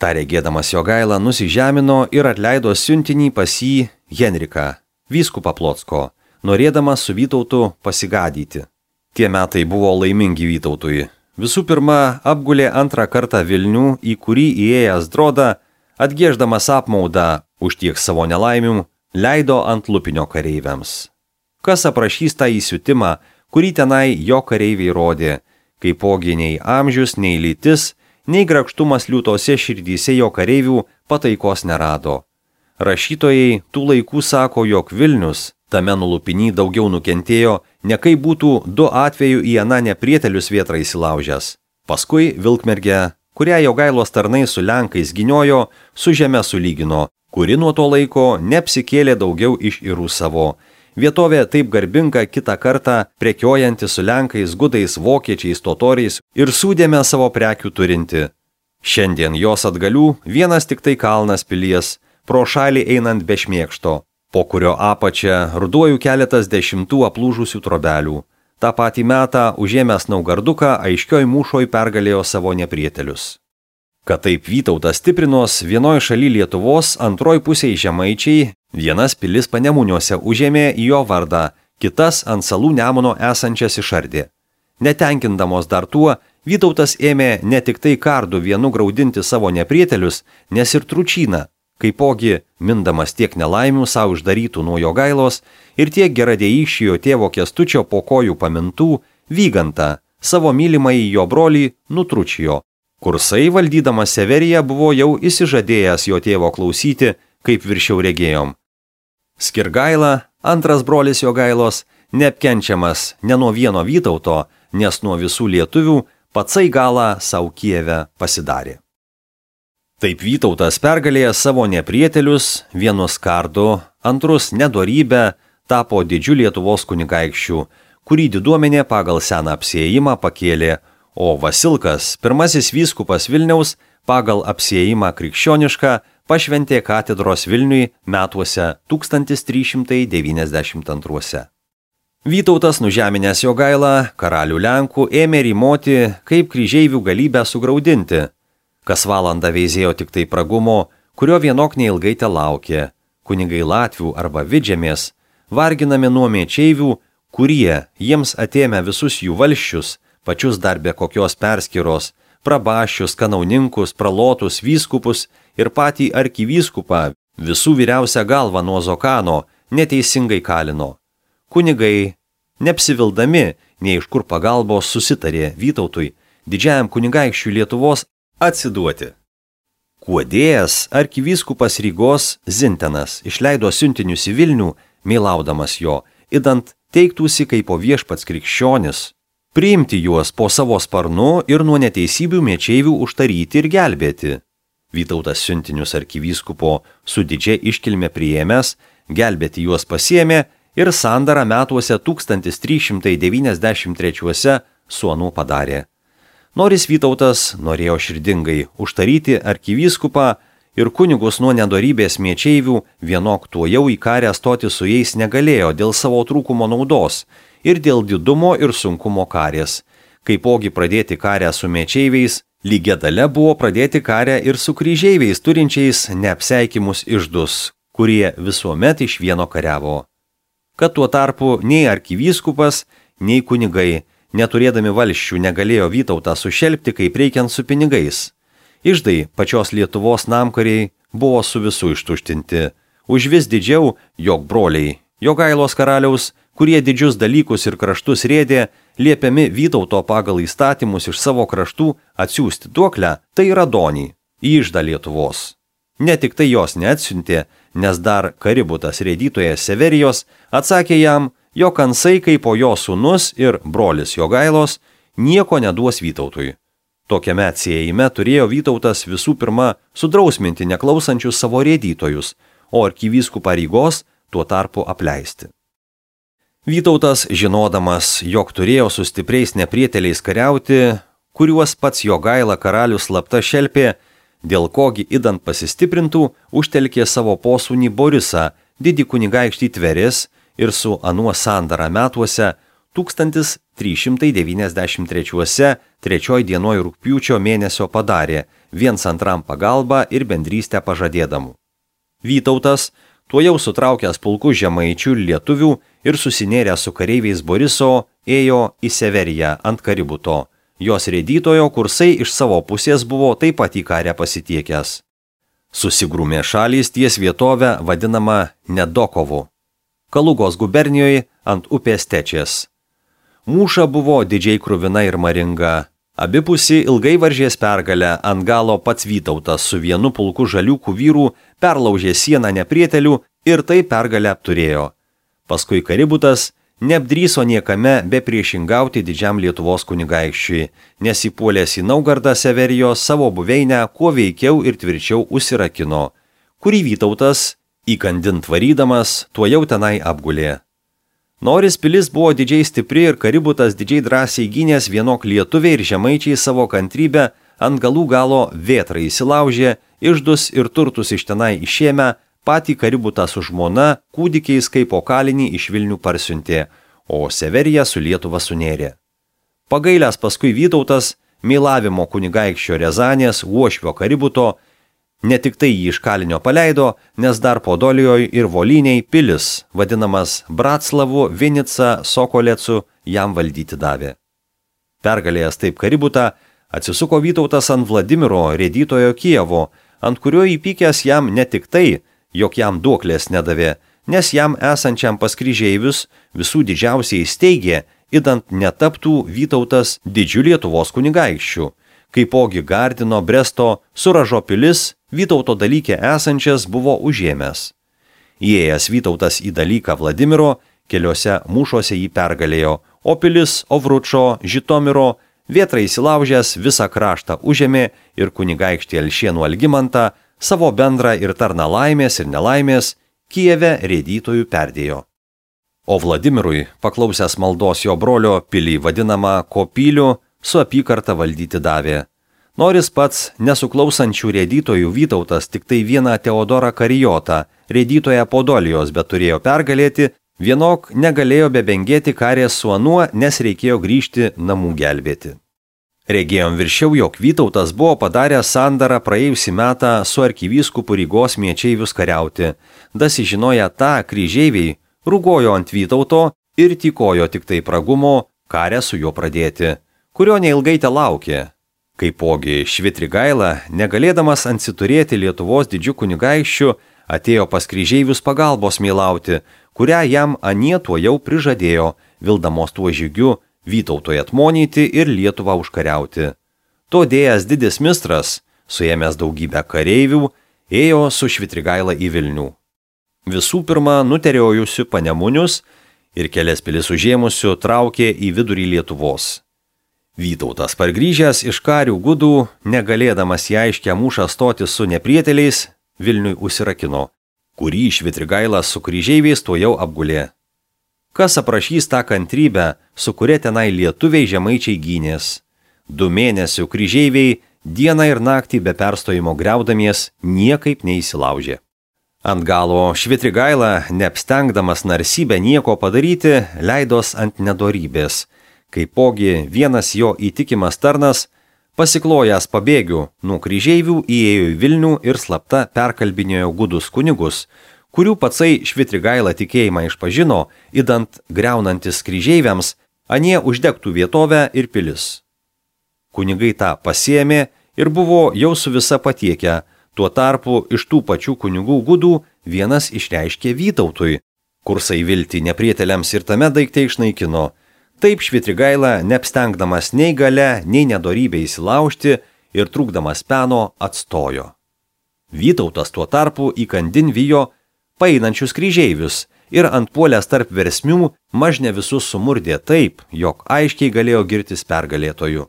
Ta regėdamas Jogaila nusižemino ir atleido siuntinį pas jį Henriką, vyskupą Plocko, norėdamas su Vytautu pasigadyti. Tie metai buvo laimingi Vytautui. Visų pirma, apgulė antrą kartą Vilnių, į kurį įėjęs Drodą, atgieždamas apmaudą už tiek savo nelaimių, leido ant lupinio kareiviams. Kas aprašys tą įsiutimą, kurį tenai jo kareiviai rodė, kaipogi nei amžius, nei lytis, nei grakštumas liūtose širdyse jo kareivių pataikos nerado. Rašytojai tų laikų sako, jog Vilnius tame nulupiny daugiau nukentėjo, ne kai būtų 2 atveju į aną neprietelius vietrą įsilaužęs. Paskui Vilkmergę, kurią Jogailos tarnai su Lenkais gyniojo, su žeme sulygino, kuri nuo to laiko neapsikėlė daugiau iš Irų savo. Vietovė taip garbinga kitą kartą prekiojanti su Lenkais, gudais, vokiečiais, totoriais ir sūdėme savo prekių turinti. Šiandien jos atgalių vienas tik tai kalnas pilies, pro šalį einant be šmėkšto, po kurio apačia ruduoju keletas 10 aplūžusių trobelių. Ta patį metą užėmęs Naugarduką aiškioj mūšoj pergalėjo savo neprietelius. Kad taip Vytautas stiprinos vienoj šaly Lietuvos, antroj pusėj žemaičiai, vienas pilis Panemuniuose užėmė į jo vardą, kitas ant salų Nemuno esančias išardė. Netenkindamos dar tuo, Vytautas ėmė ne tik tai kardu vienu graudinti savo neprietelius, nes ir Tručyną, kaipogi mindamas tiek nelaimių savo uždarytų nuo Jogailos ir tiek geradėjykščio tėvo Kęstučio po kojų pamintų, Vygantą, savo mylimąjį jo brolį Nutručijo. Kursai valdydamas Severiją buvo jau įsižadėjęs jo tėvo klausyti, kaip viršiau regėjom. Skirgaila, antras brolis Jogailos, neapkenčiamas ne nuo vieno Vytauto, nes nuo visų lietuvių patsai galą savo Kijeve pasidarė. Taip Vytautas pergalėjęs savo neprietelius, vienus kardu, antrus nedorybę, tapo didžiu Lietuvos kunigaikščiu, kurį diduomenė pagal seną apsiėjimą pakėlė, o Vasilkas, pirmasis vyskupas Vilniaus, pagal apsiėjimą krikščionišką, pašventė katedros Vilniui metuose 1392. Vytautas, nužeminęs Jogailą, karalių Lenkų, ėmė rymoti, kaip kryžeivių galybę sugraudinti. Kas valandą veizėjo tik tai pragumo, kurio vienok neilgai te laukė, kunigai Latvių arba Vidžemės, varginami nuo mėčeivių, kurie, jiems atėmė visus jų valsčius, pačius dar be kokios perskyros, prabaščius, kanauninkus, pralotus, vyskupus ir patį arkivyskupą, visų vyriausią galvą nuo Zokano, neteisingai kalino. Kunigai, neapsivildami, nei iš kur pagalbos susitarė Vytautui, didžiajam kunigaikščiui Lietuvos, atsiduoti. Kuodėjas arkivyskupas Rygos Zintenas išleido siuntinius į Vilnių, meilaudamas jo, idant teiktųsi kaip po viešpats krikščionis, priimti juos po savo sparnu ir nuo neteisybių mečeivių užtaryti ir gelbėti. Vytautas siuntinius arkivyskupo su didžia iškilme priėmęs, gelbėti juos pasiėmė ir sandarą metuose 1393 su anu padarė. Noris Vytautas norėjo širdingai užtaryti arkivyskupą ir kunigus nuo nedorybės mečeivių, vienok tuojau į karę stoti su jais negalėjo dėl savo trūkumo naudos ir dėl didumo ir sunkumo karės. Kaipogi pradėti karę su mečeiviais, lygia dalia buvo pradėti karę ir su kryžeiviais turinčiais neapseikimus iždus, kurie visuomet iš vieno kariavo. Kad tuo tarpu nei arkivyskupas, nei kunigai, neturėdami valsčių, negalėjo Vytautą sušelpti kaip reikiant su pinigais. Iždai pačios Lietuvos namkariai buvo su visų ištuštinti. Už vis didžiau jog broliai, Jogailos karaliaus, kurie didžius dalykus ir kraštus rėdė, liepiami Vytauto pagal įstatymus iš savo kraštų atsiųsti duoklę, tai yra Donį, į iždą Lietuvos. Ne tik tai jos neatsiuntė, nes dar Kaributas rėdytojas Severijos atsakė jam, jog Ansai kaip po jo sūnus ir brolis Jogailos nieko neduos Vytautui. Tokiame atsiejime turėjo Vytautas visų pirma sudrausminti neklausančius savo rėdytojus, o arkivyskupą Rygos tuo tarpu apleisti. Vytautas, žinodamas, jog turėjo su stipriais neprieteliais kariauti, kuriuos pats Jogaila karalius slapta šelpė, dėl kogi idant pasistiprintų, užtelkė savo posūnį Borisą, didį kunigaikštį Tverės ir su anuo sandarą metuose 1393 3 dienoj rugpjūčio mėnesio padarė, viens antram pagalbą ir bendrystę pažadėdamų. Vytautas, tuojau sutraukęs pulkus žemaičių ir lietuvių ir susinėręs su kareiviais Boriso, ėjo į Severiją ant Kaributo. Jos rėdytojo kursai iš savo pusės buvo taip pat į karę pasitiekęs. Susigrūmė šalys ties vietovę vadinama Nedokovu, Kalugos gubernijoje ant upės Tečės. Mūša buvo didžiai kruvina ir maringa. Abipusi ilgai varžės pergalę, ant galo pats Vytautas su vienu pulku žaliukų vyrų perlaužė sieną neprietelių ir tai pergalę apturėjo. Paskui Kaributas neapdryso niekame be priešingauti didžiam Lietuvos kunigaikščiui, nes įpuolęs į Naugardą Severijos savo buveinę kuo veikiau ir tvirčiau užsirakino, kurį Vytautas, įkandint varydamas, tuojau tenai apgulė. Noris pilis buvo didžiai stipri ir Kaributas didžiai drąsiai gynęs vienok lietuviai ir žemaičiai savo kantrybę ant galų galo vėtrą įsilaužė, iždus ir turtus iš tenai išėmę, patį Kaributą su žmona kūdikiais kaip po kalinį iš Vilnių parsiuntė, o Severiją su Lietuva sunėrė. Pagailęs paskui Vytautas, meilavimo kunigaikščio Rezanės, Uošvio Kaributo, ne tik tai jį iš kalinio paleido, nes dar Podolijoje ir Voliniai pilis, vadinamas Bratslavu, Vinica, Sokolecu, jam valdyti davė. Pergalėjęs taip Kaributą, atsisuko Vytautas ant Vladimiro rėdytojo Kijevo, ant kurio įpykęs jam ne tik tai, jog jam duoklės nedavė, nes jam esančiam pas kryžeivius visų didžiausiai steigė, idant netaptų Vytautas didžių Lietuvos kunigaikščių, kaipogi Gardino, Bresto, Suražo pilis Vytauto dalyke esančias buvo užėmęs. Įėjęs Vytautas į dalyką Vladimiro, keliose mūšuose jį pergalėjo, o pilis Ovručo, Žitomiro, vėtrą įsilaužęs visą kraštą užėmė ir kunigaikštį Alšienų Algimantą savo bendrą ir tarną laimės ir nelaimės Kijeve rėdytojų perdėjo. O Vladimirui, paklausęs maldos jo brolio, pilį vadinamą Kopylių, su apykarta valdyti davė. Noris pats nesuklausančių rėdytojų Vytautas tik tai vieną Teodorą Karijotą, rėdytoją Podolijos, bet turėjo pergalėti, vienok negalėjo bebengėti karės su anuo, nes reikėjo grįžti namų gelbėti. Regėjom viršiau, jog Vytautas buvo padaręs sandarą praėjusį metą su arkivyskupu Rygos mečeivius kariauti. Dasižinoję tą, kryžeiviai rūgojo ant Vytauto ir tykojo tik tai pragumo karę su juo pradėti, kurio neilgai te laukė. Kaipogi Švitrigaila, negalėdamas ansiturėti Lietuvos didžių kunigaikščių, atėjo pas kryžeivius pagalbos meilauti, kurią jam anie tuojau prižadėjo, vildamos tuo žygiu Vytautui atmonyti ir Lietuvą užkariauti. To dėjęs didis mistras, suėmęs daugybę kareivių, ėjo su Švitrigaila į Vilnių. Visų pirma, nuteriojusių panemunius, ir kelias pilis užėmusių traukė į vidurį Lietuvos. Vytautas pargrįžęs iš karių gudų, negalėdamas į aiškę mūšą stoti su neprieteliais, Vilniui užsirakino, kurį Švitrigailas su kryžeiviais tuojau apgulė. Kas aprašys tą kantrybę, su kuria tenai lietuviai žemaičiai gynės? 2 mėnesių kryžeiviai dieną ir naktį be perstojimo griaudamies niekaip neįsilaužė. Ant galo Švitrigaila, neapstengdamas narsybę nieko padaryti, leidos ant nedorybės, kaipogi vienas jo įtikimas tarnas, pasiklojęs pabėgių nuo kryžeivių, įėjo į Vilnių ir slapta perkalbinėjo gudus kunigus, kurių patsai Švitrigaila tikėjimą išpažino, idant griaunantis kryžeiviams, anie uždegtų vietovę ir pilis. Kunigai tą pasiėmė ir buvo jau su visa patiekę, tuo tarpu iš tų pačių kunigų gudų vienas išreiškė Vytautui, kursai viltį neprieteliams ir tame daikte išnaikino. Taip Švitrigaila, neapstengdamas nei gale, nei nedorybę įsilaužti ir trūkdamas peno, atstojo. Vytautas tuo tarpu įkandin vijo paeinančius kryžeivius ir antpuolęs tarp versmių mažne visus sumurdė taip, jog aiškiai galėjo girtis pergalėtoju.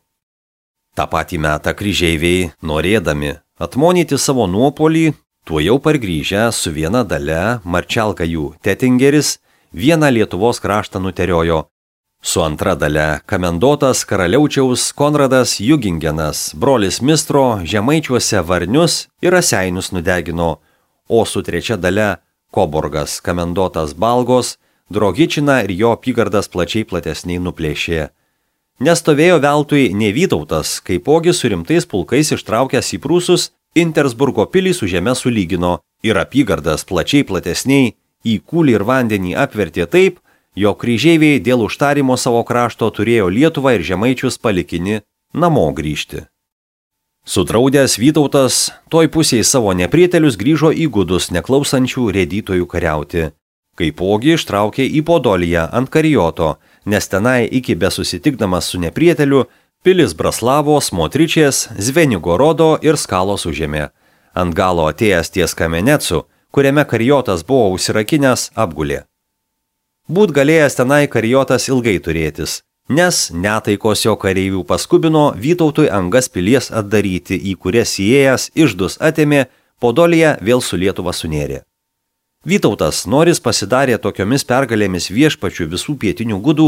Ta patį metą kryžeiviai, norėdami atmonyti savo nuopolį, tuojau pargrįžę su viena dale Marčelkajų Tetingeris vieną Lietuvos kraštą nuteriojo, su antra dale Kamendotas karaliaučiaus Konradas Jugingenas, brolis Mistro, žemaičiuose Varnius ir Raseinius nudegino, o su trečia dale Koborgas Kamendotas Balgos, Drogičiną ir jo apygardas plačiai platesniai nuplėšė. Nestovėjo veltui ne Vytautas, kaipogi su rimtais pulkais ištraukęs į Prūsus, Intersburgo pilį su žeme sulygino ir apygardas plačiai platesniai į kūlį ir vandenį apvertė taip, jog kryžeiviai dėl užtarimo savo krašto turėjo Lietuvą ir žemaičius palikinį namo grįžti. Sudraudęs Vytautas toj pusėje savo neprietelius grįžo į gudus neklausančių rėdytojų kariauti. Kaipogi ištraukė į Podoliją ant Karijoto, nes tenai iki besusitikdamas su neprieteliu pilis Braslavos, Motričės, Zvenigorodo ir Skalos užėmė. Ant galo atėjęs ties Kamenecu, kuriame Karijotas buvo užsirakinęs, apgulė. Būt galėjęs tenai Karijotas ilgai turėtis, nes netaikos jo kareivių paskubino Vytautui Angas pilies atdaryti, į kurias įėjęs išdus atėmė, Podoliją vėl su Lietuva sunėrė. Vytautas, noris pasidarė tokiomis pergalėmis viešpačių visų pietinių gudų,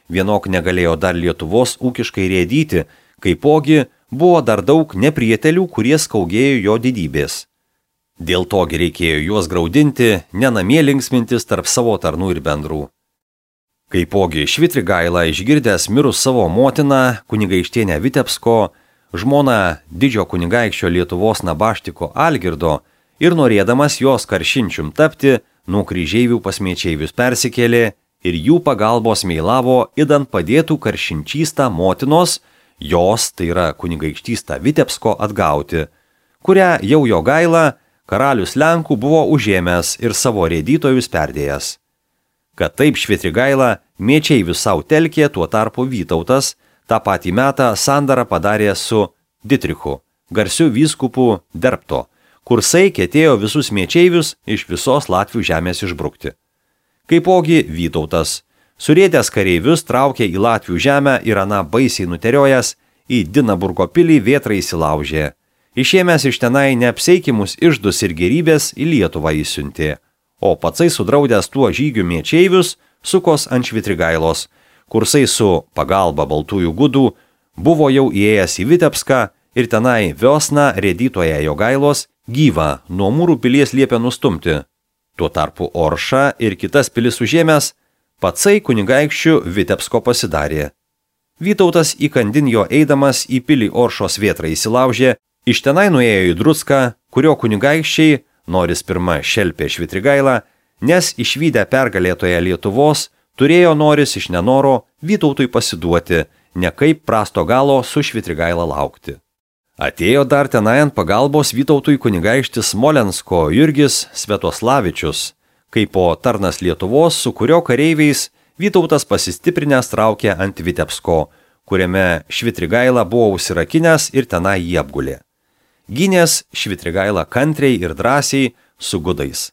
vienok negalėjo dar Lietuvos ūkiškai rėdyti, kaipogi buvo dar daug neprietelių, kurie skaugėjo jo didybės. Dėl togi reikėjo juos graudinti, nenamie linksmintis tarp savo tarnų ir bendrų. Kaipogi Švitrigaila išgirdęs mirus savo motiną, kunigaikštienę Vitebsko, žmoną didžio kunigaikščio Lietuvos nabaštiko Algirdo, ir norėdamas jos karšinčium tapti, nuo kryžeivių pas mečeivius persikėlė ir jų pagalbos meilavo, idant padėtų karšinčystą motinos, jos, tai yra kunigaikštystą Vitebsko, atgauti, kurią jau Jogaila, karalius Lenkų, buvo užėmęs ir savo rėdytojus perdėjęs. Kad taip Švitrigaila mečeivius savo telkė, tuo tarpu Vytautas tą patį metą sandarą padarė su Ditrichu, garsiu vyskupu Derbto, kursai ketėjo visus mečeivius iš visos Latvių žemės išbrukti. Kaipogi Vytautas, surėdęs kareivius, traukė į Latvių žemę ir aną baisiai nuteriojęs į Dinaburgo pilį vėtrą įsilaužė. Išėmęs iš tenai neapseikimus išdus ir gerybės į Lietuvą įsiuntė, o patsai sudraudęs tuo žygių mečeivius sukos ant Švitrigailos, kursai su pagalba baltųjų gudų buvo jau įėjęs į Vitebską ir tenai Viosną rėdytoje Jogailos gyvą nuo Mūrų pilies liepė nustumti. Tuo tarpu Oršą ir kitas pilis užėmęs, patsai kunigaikščių Vitebsko pasidarė. Vytautas įkandin jo eidamas į pilį Oršos vėtrą įsilaužė, iš tenai nuėjo į Drucką, kurio kunigaikščiai, noris pirma šelpė Švitrigailą, nes išvydę pergalėtoje Lietuvos, turėjo noris iš nenoro Vytautui pasiduoti, nekaip prasto galo su Švitrigaila laukti. Atėjo dar tenai ant pagalbos Vytautui kunigaikštis Smolensko Jurgis Svetoslavičius, kaip po tarnas Lietuvos, su kurio kareiviais Vytautas pasistiprinęs traukė ant Vitebsko, kuriame Švitrigaila buvo užsirakinęs ir tenai jį apgulė. Gynės Švitrigaila kantriai ir drąsiai su gudais.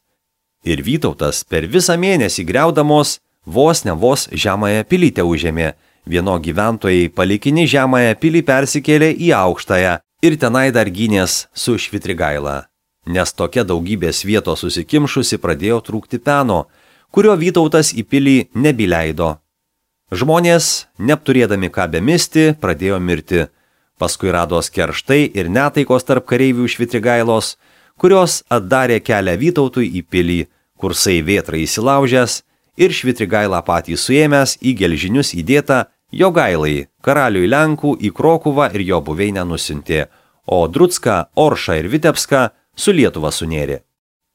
Ir Vytautas per visą mėnesį griaudamos vos ne vos žemąją pilį užėmė, vieno gyventojai palikinį žemąją pilį persikėlė į aukštąją ir tenai dar gynės su Švitrigaila, nes tokia daugybės vietos susikimšusi pradėjo trūkti peno, kurio Vytautas į pilį nebileido. Žmonės, neapturėdami ką bemisti, pradėjo mirti. Paskui rados kerštai ir netaikos tarp kareivių Švitrigailos, kurios atdarė kelią Vytautui į pilį, kursai vėtrai įsilaužęs ir Švitrigailą patį suėmęs į gelžinius įdėtą Jogailai, karaliui Lenkų į Krokuvą ir jo buveinę nusiuntė, o Drucką, Oršą ir Vitebską su Lietuva sunėrė.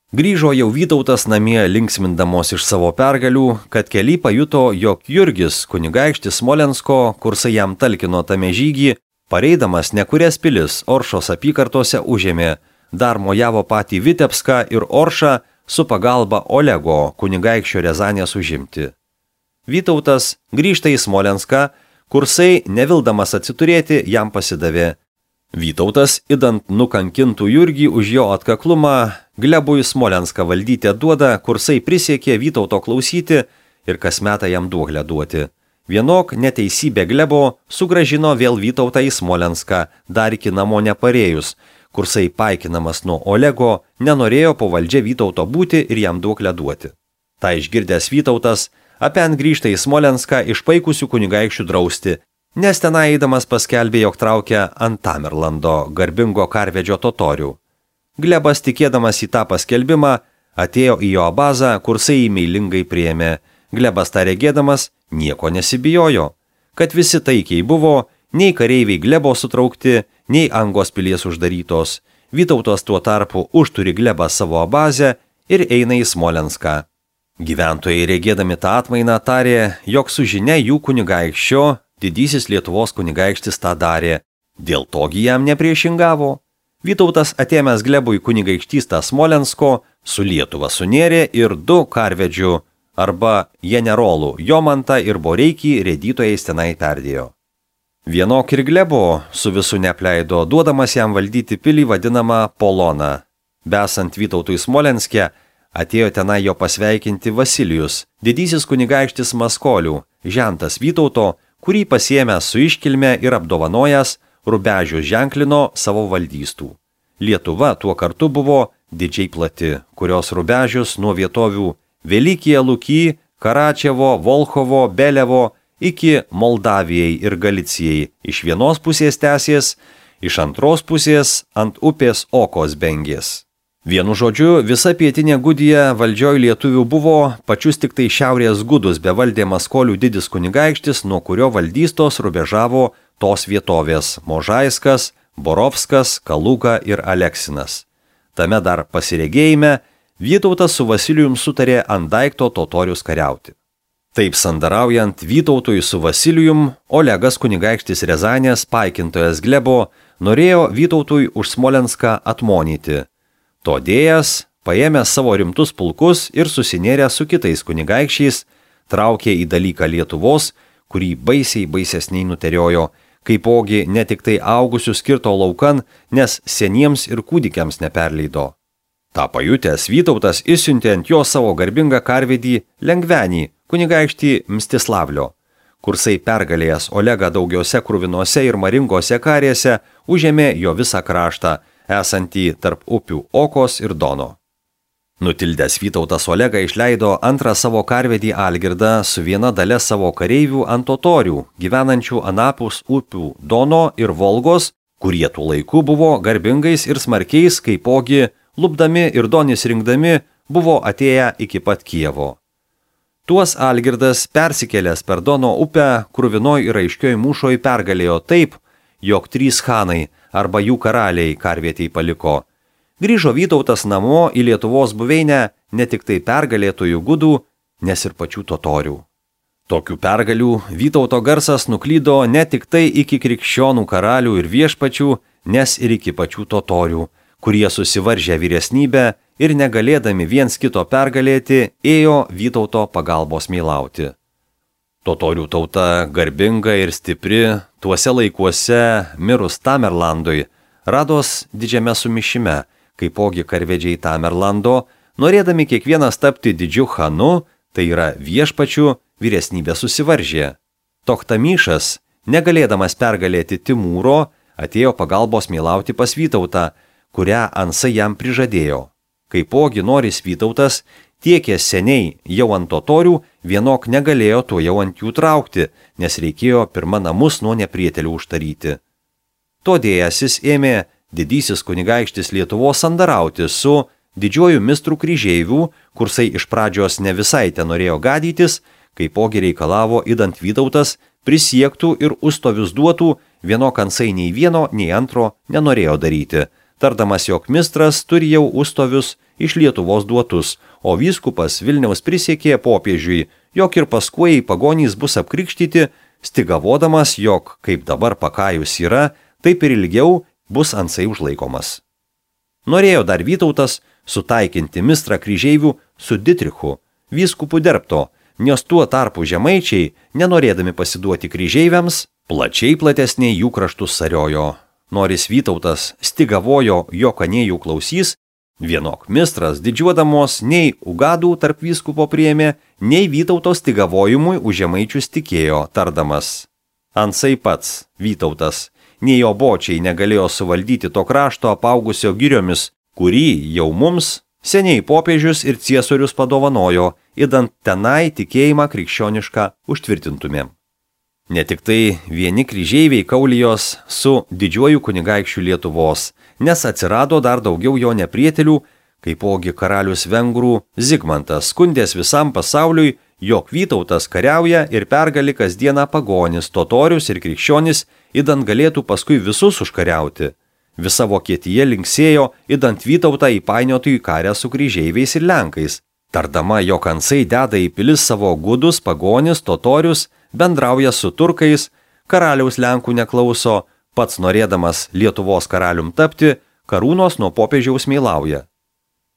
Grįžo jau Vytautas namie linksmindamos iš savo pergalių, kad keli pajuto, jog Jurgis, kunigaikštis Smolensko, kursai jam talkino tame žygį, pareidamas nekurias pilis Oršos apykartose užėmė, dar mojavo patį Vitebską ir Oršą su pagalba Olego, kunigaikščio Riazanės užimti. Vytautas grįžta į Smolenską, kursai, nevildamas atsiturėti, jam pasidavė. Vytautas, idant nukankintų Jurgį už jo atkaklumą, Glebui Smolenską valdyti duoda, kursai prisiekė Vytauto klausyti ir kasmetą jam duoklę duoti. Vienok neteisybė Glebo sugražino vėl Vytautą į Smolenską, dar iki namo neparėjus, kursai paikinamas nuo Olego nenorėjo po valdžia Vytauto būti ir jam duoklę duoti. Ta išgirdęs Vytautas apen grįžta į Smolenską išpaikusių kunigaikščių drausti, nes tenai eidamas paskelbė, jog traukia ant Tamerlando, garbingo karvedžio totorių. Glebas, tikėdamas į tą paskelbimą, atėjo į jo bazą, kursai jį meilingai priėmė. Glebas tą regėdamas nieko nesibijojo, kad visi taikiai buvo, nei kareiviai Glebo sutraukti, nei Angos pilies uždarytos. Vytautas tuo tarpu užturi Glebą savo bazę ir eina į Smolenską. Gyventojai regėdami tą atmainą tarė, jog su žinia jų kunigaikščio, didysis Lietuvos kunigaikštis tą darė, dėl togi jam nepriešingavo. Vytautas atėmęs Glebui kunigaikštystą Smolensko, su Lietuva sunėrė ir 2 karvedžių arba generolų Jomantą ir Boreikį rėdytojais tenai perdėjo. Vienok ir Glebo su visu neapleido, duodamas jam valdyti pilį vadinamą Poloną. Besant Vytautui Smolenske, atėjo tenai jo pasveikinti Vasilijus, didysis kunigaikštis Maskolių, žentas Vytauto, kurį pasiėmęs su iškilme ir apdovanojęs, Rubežius ženklino savo valdystų. Lietuva tuo kartu buvo didžiai plati, kurios Rubežius nuo vietovių Velikija Luky, Karačevo, Volchovo, Belevo iki Moldavijai ir Galicijai iš vienos pusės tęsės, iš antros pusės ant upės Okos bengės. Vienu žodžiu, visa pietinė Gudija valdžioj lietuvių buvo, pačius tik tai šiaurės Gudus bevaldė Maskolių didis kunigaikštis, nuo kurio valdystos rubežavo tos vietovės Možaiskas, Borovskas, Kaluga ir Aleksinas. Tame dar pasiregėjime Vytautas su Vasilijum sutarė ant daikto totorius kariauti. Taip sandaraujant Vytautui su Vasilijum, Olegas kunigaikštis Riazanės, paikintojas Glebo, norėjo Vytautui už Smolenską atmonyti. Todėjas, paėmęs savo rimtus pulkus ir susinėręs su kitais kunigaikščiais, traukė į dalyką Lietuvos, kurį baisesniai nuteriojo, kaipogi ne tik tai augusius skirto laukan, nes seniems ir kūdikiams neperleido. Ta pajutęs Vytautas išsiuntė ant jo savo garbingą karvedį Lengvenį, kunigaikštį Mstislavlio. Kursai pergalėjęs Olegą daugiose kruvinose ir maringose karėse, užėmė jo visą kraštą, esantį tarp upių Okos ir Dono. Nutildęs Vytautas Olegą išleido antrą savo karvedį Algirdą su viena dalia savo kareivių ant totorių, gyvenančių anapus upių Dono ir Volgos, kurie tų laikų buvo garbingais ir smarkiais, kaipogi lupdami ir Donis rinkdami buvo atėję iki pat Kijevo. Tuos Algirdas, persikėlęs per Dono upę, kruvinoj ir aiškioj mūšoj pergalėjo taip, jog 3 chanai arba jų karaliai karvietei paliko. Grįžo Vytautas namo į Lietuvos buveinę ne tik tai pergalėtojų gudų, nes ir pačių totorių. Tokių pergalių Vytauto garsas nuklydo ne tik tai iki krikščionų karalių ir viešpačių, nes ir iki pačių totorių, kurie susivaržė vyresnybę ir negalėdami viens kito pergalėti, ėjo Vytauto pagalbos meilauti. Totorių tauta garbinga ir stipri, tuose laikuose mirus Tamerlandui, rados didžiame sumišime, kaipogi karvedžiai Tamerlando, norėdami kiekvienas tapti didžiu chanu, tai yra viešpačių, vyresnybė susivaržė. Tochtamišas, negalėdamas pergalėti Timūro, atėjo pagalbos meilauti pas Vytautą, kurią Ansai jam prižadėjo. Kaipogi Noris Vytautas, tiekė seniai jau ant totorių, vienok negalėjo to jau ant jų traukti, nes reikėjo pirma namus nuo neprietelių užtaryti. Todėjasis ėmė didysis kunigaikštis Lietuvos sandarauti su didžiuoju mistru kryžeivių, kursai iš pradžios ne visai ten norėjo gadytis, kaipogi reikalavo idant Vytautas prisiektų ir ustovius duotų, vienok Ansai nei vieno, nei antro nenorėjo daryti, tardamas, jog mistras turi jau ustovius iš Lietuvos duotus, o vyskupas Vilniaus prisiekė popiežiui, jog ir paskui pagonys bus apkrikštyti, stigavodamas, jog kaip dabar pakajus yra, taip ir ilgiau bus Ansai užlaikomas. Norėjo dar Vytautas sutaikinti mistrą kryžeivių su Ditrichu, vyskupu Derbto, nes tuo tarpu žemaičiai, nenorėdami pasiduoti kryžeiviams, plačiai platesniai jų kraštus sariojo. Noris Vytautas stigavojo, jog anėjų klausys, vienok mistras didžiuodamos nei ugadų tarp vyskupo priėmė, nei Vytauto stigavojimui už žemaičius tikėjo, tardamas. Ansai pats, Vytautas, nei jo bočiai negalėjo suvaldyti to krašto apaugusio giriomis, kurį jau mums seniai popiežius ir ciesorius padovanojo, idant tenai tikėjimą krikščionišką užtvirtintumėm. Ne tik tai vieni kryžeiviai kaulijos su didžiuoju kunigaikščiu Lietuvos, nes atsirado dar daugiau jo neprietelių, kaipogi karalius vengrų Zigmantas skundės visam pasauliui, jog Vytautas kariauja ir pergali kasdieną pagonis, totorius ir krikščionis, idant galėtų paskui visus užkariauti. Visa Vokietija linksėjo, idant Vytautą įpainiotų į karę su kryžeiviais ir lenkais, tardama, jog Ansai deda į pilis savo gudus, pagonis, totorius, bendrauja su turkais, karaliaus lenkų neklauso, pats norėdamas Lietuvos karalium tapti, karūnos nuo popiežiaus meilauja.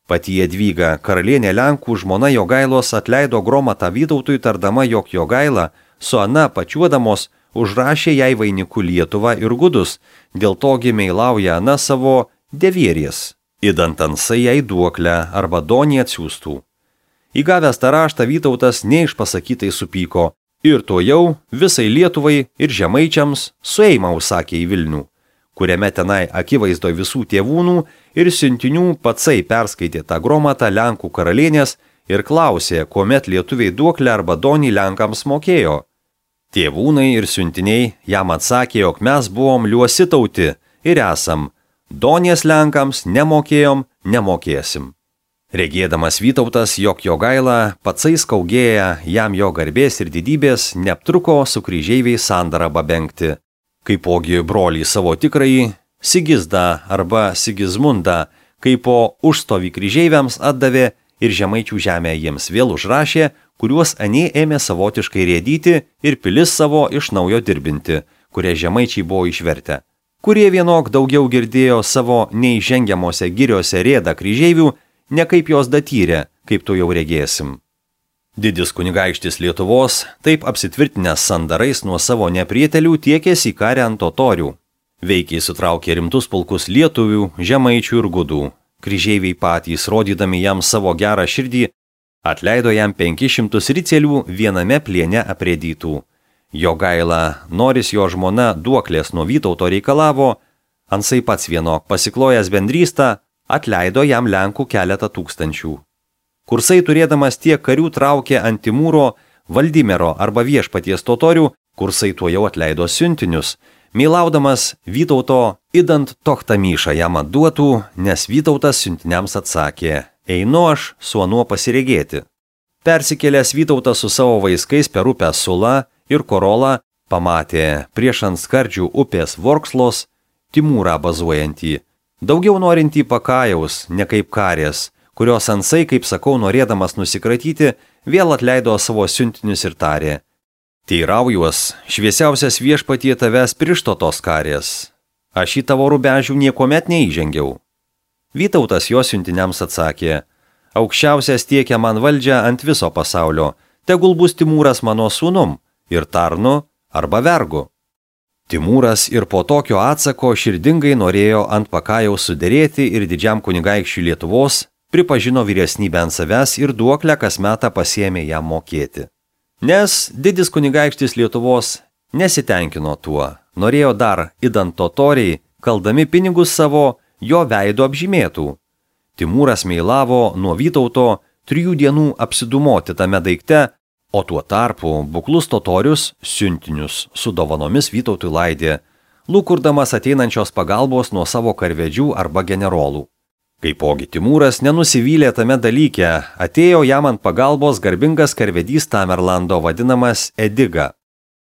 Pati Jadvyga, karalienė Lenkų žmona Jogailos, atleido Gromatą Vytautui, tardama, jog Jogaila su Ana pačiuodamos užrašė jai vainikų Lietuvą ir gudus, dėl togi meilauja Ana savo devierės, idant Ansai jai duoklę arba donį atsiųstų. Įgavęs tą raštą Vytautas neišpasakytai supyko ir to jau visai Lietuvai ir žemaičiams sueimą užsakė į Vilnių, kuriame tenai akivaizdoj visų tėvūnų ir siuntinių patsai perskaitė tą Gromatą Lenkų karalienės ir klausė, kuomet lietuviai duoklę arba donį Lenkams mokėjo. Tėvūnai ir siuntiniai jam atsakė, jog mes buvom liuosi tauti ir esam, donės Lenkams nemokėjom, nemokėsim. Regėdamas Vytautas, jog Jogaila patsai skaugėja jam jo garbės ir didybės, neaptruko su kryžeiviais sandarą babengti. Kaipogi brolį savo tikrąjį, Sigizdą arba Sigizmundą, kaipo užstovį kryžeiviams atdavė ir žemaičių žemę jiems vėl užrašė, kuriuos anie ėmė savotiškai rėdyti ir pilis savo iš naujo dirbinti, kurie žemaičiai buvo išvertę. Kurie vienok daugiau girdėjo savo neįžengiamose giriose rėdą kryžeivių, ne kaip jos datyrė, kaip tu jau regėsim. Didis kunigaikštis Lietuvos, taip apsitvirtinęs sandarais nuo savo neprietelių, tiekėsi į karę ant totorių. Veikiai sutraukė rimtus pulkus lietuvių, žemaičių ir gudų. Kryžeiviai patys, rodydami jam savo gerą širdį, atleido jam 500 ricelių viename pliene aprėdytų. Jogaila, Noris jo žmona duoklės nuo Vytauto reikalavo, Ansai pats vienok pasiklojęs bendrystą, atleido jam Lenkų keletą tūkstančių. Kursai turėdamas tiek karių traukė ant Timūro, Valdimero arba viešpaties totorių, Kursai tuo jau atleido siuntinius, meilaudamas Vytauto idant Tochtamišą jam atduotų, nes Vytautas siuntiniams atsakė, einu aš su anuo pasiregėti. Persikėlęs Vytautas su savo vaiskais per upę Sulą ir Korolą pamatė prieš ant skardžių upės Vorkslos Timūrą bazuojantį, daugiau norintį pakajaus, ne kaip karės, kurios Ansai, kaip sakau, norėdamas nusikratyti, vėl atleido savo siuntinius ir tarė, teiraujuos, šviesiausias viešpatie tavęs prišto tos karės, aš į tavo rubežių niekomet neįžengiau. Vytautas jo siuntiniams atsakė, aukščiausias tiekia man valdžią ant viso pasaulio, tegul bus Timūras mano sūnum ir tarnu arba vergu. Timūras ir po tokio atsako širdingai norėjo ant pakajaus suderėti ir didžiam kunigaikščiui Lietuvos pripažino vyresnybę ant savęs ir duoklę kas metą pasiėmė jam mokėti. Nes didis kunigaikštis Lietuvos nesitenkino tuo, norėjo dar idant totoriai, kaldami pinigus savo, jo veido apžymėtų. Timūras meilavo nuo Vytauto 3 dienų apsidumoti tame daikte, o tuo tarpu buklus totorius siuntinius su dovanomis Vytautui laidė, lūkurdamas ateinančios pagalbos nuo savo karvedžių arba generolų. Kaipogi Timūras nenusivylė tame dalyke, atėjo jam ant pagalbos garbingas karvedys Tamerlando vadinamas Ediga.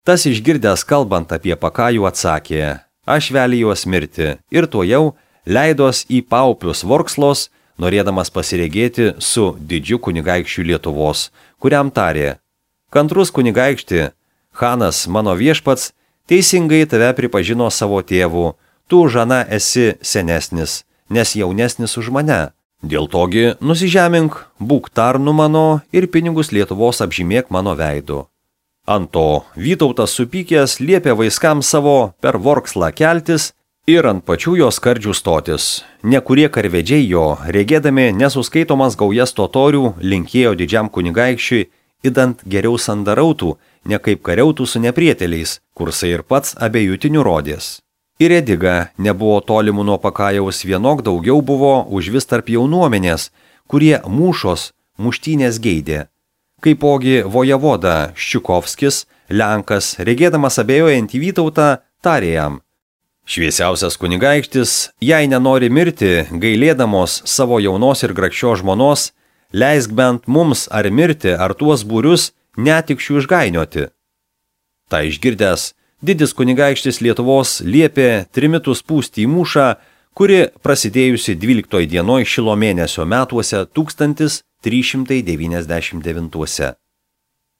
Tas išgirdęs kalbant apie Pakajų atsakė, aš velijuos mirti ir tuojau leidos į paupius Vorkslos, norėdamas pasiregėti su didžiu kunigaikščiu Lietuvos, kuriam tarė, kantrus kunigaikšti, Hanas mano viešpats, teisingai tave pripažino savo tėvu, tu žana esi senesnis, nes jaunesnis už mane. Dėl togi nusižemink, būk tarnu mano ir pinigus Lietuvos apžymėk mano veidu. Ant to Vytautas supykęs liepė vaiskams savo per Vorkslą keltis ir ant pačių jos skardžių stotis. Nekurie karvedžiai jo, regėdami nesuskaitomas gaujas totorių, linkėjo didžiam kunigaikščiui, idant geriau sandarautų, ne kaip kariautų su neprieteliais, kursai ir pats abiejutinių rodės. Ir Ediga nebuvo tolimų nuo Pakajaus, vienok daugiau buvo už vis tarp jaunuomenės, kurie mūšos, muštynės geidė. Kaipogi vojevoda Ščiukovskis, Lenkas, regėdamas abejojantį Vytautą, tarė jam, šviesiausias kunigaikštis, jei nenori mirti, gailėdamos savo jaunos ir grakščios žmonos, leisk bent mums ar mirti, ar tuos būrius netikščių išgainioti. Ta išgirdęs, didis kunigaikštis Lietuvos liepė trimitus pūsti į mūšą, kuri prasidėjusi 12 dienoj Šilo mėnesio metuose 1399.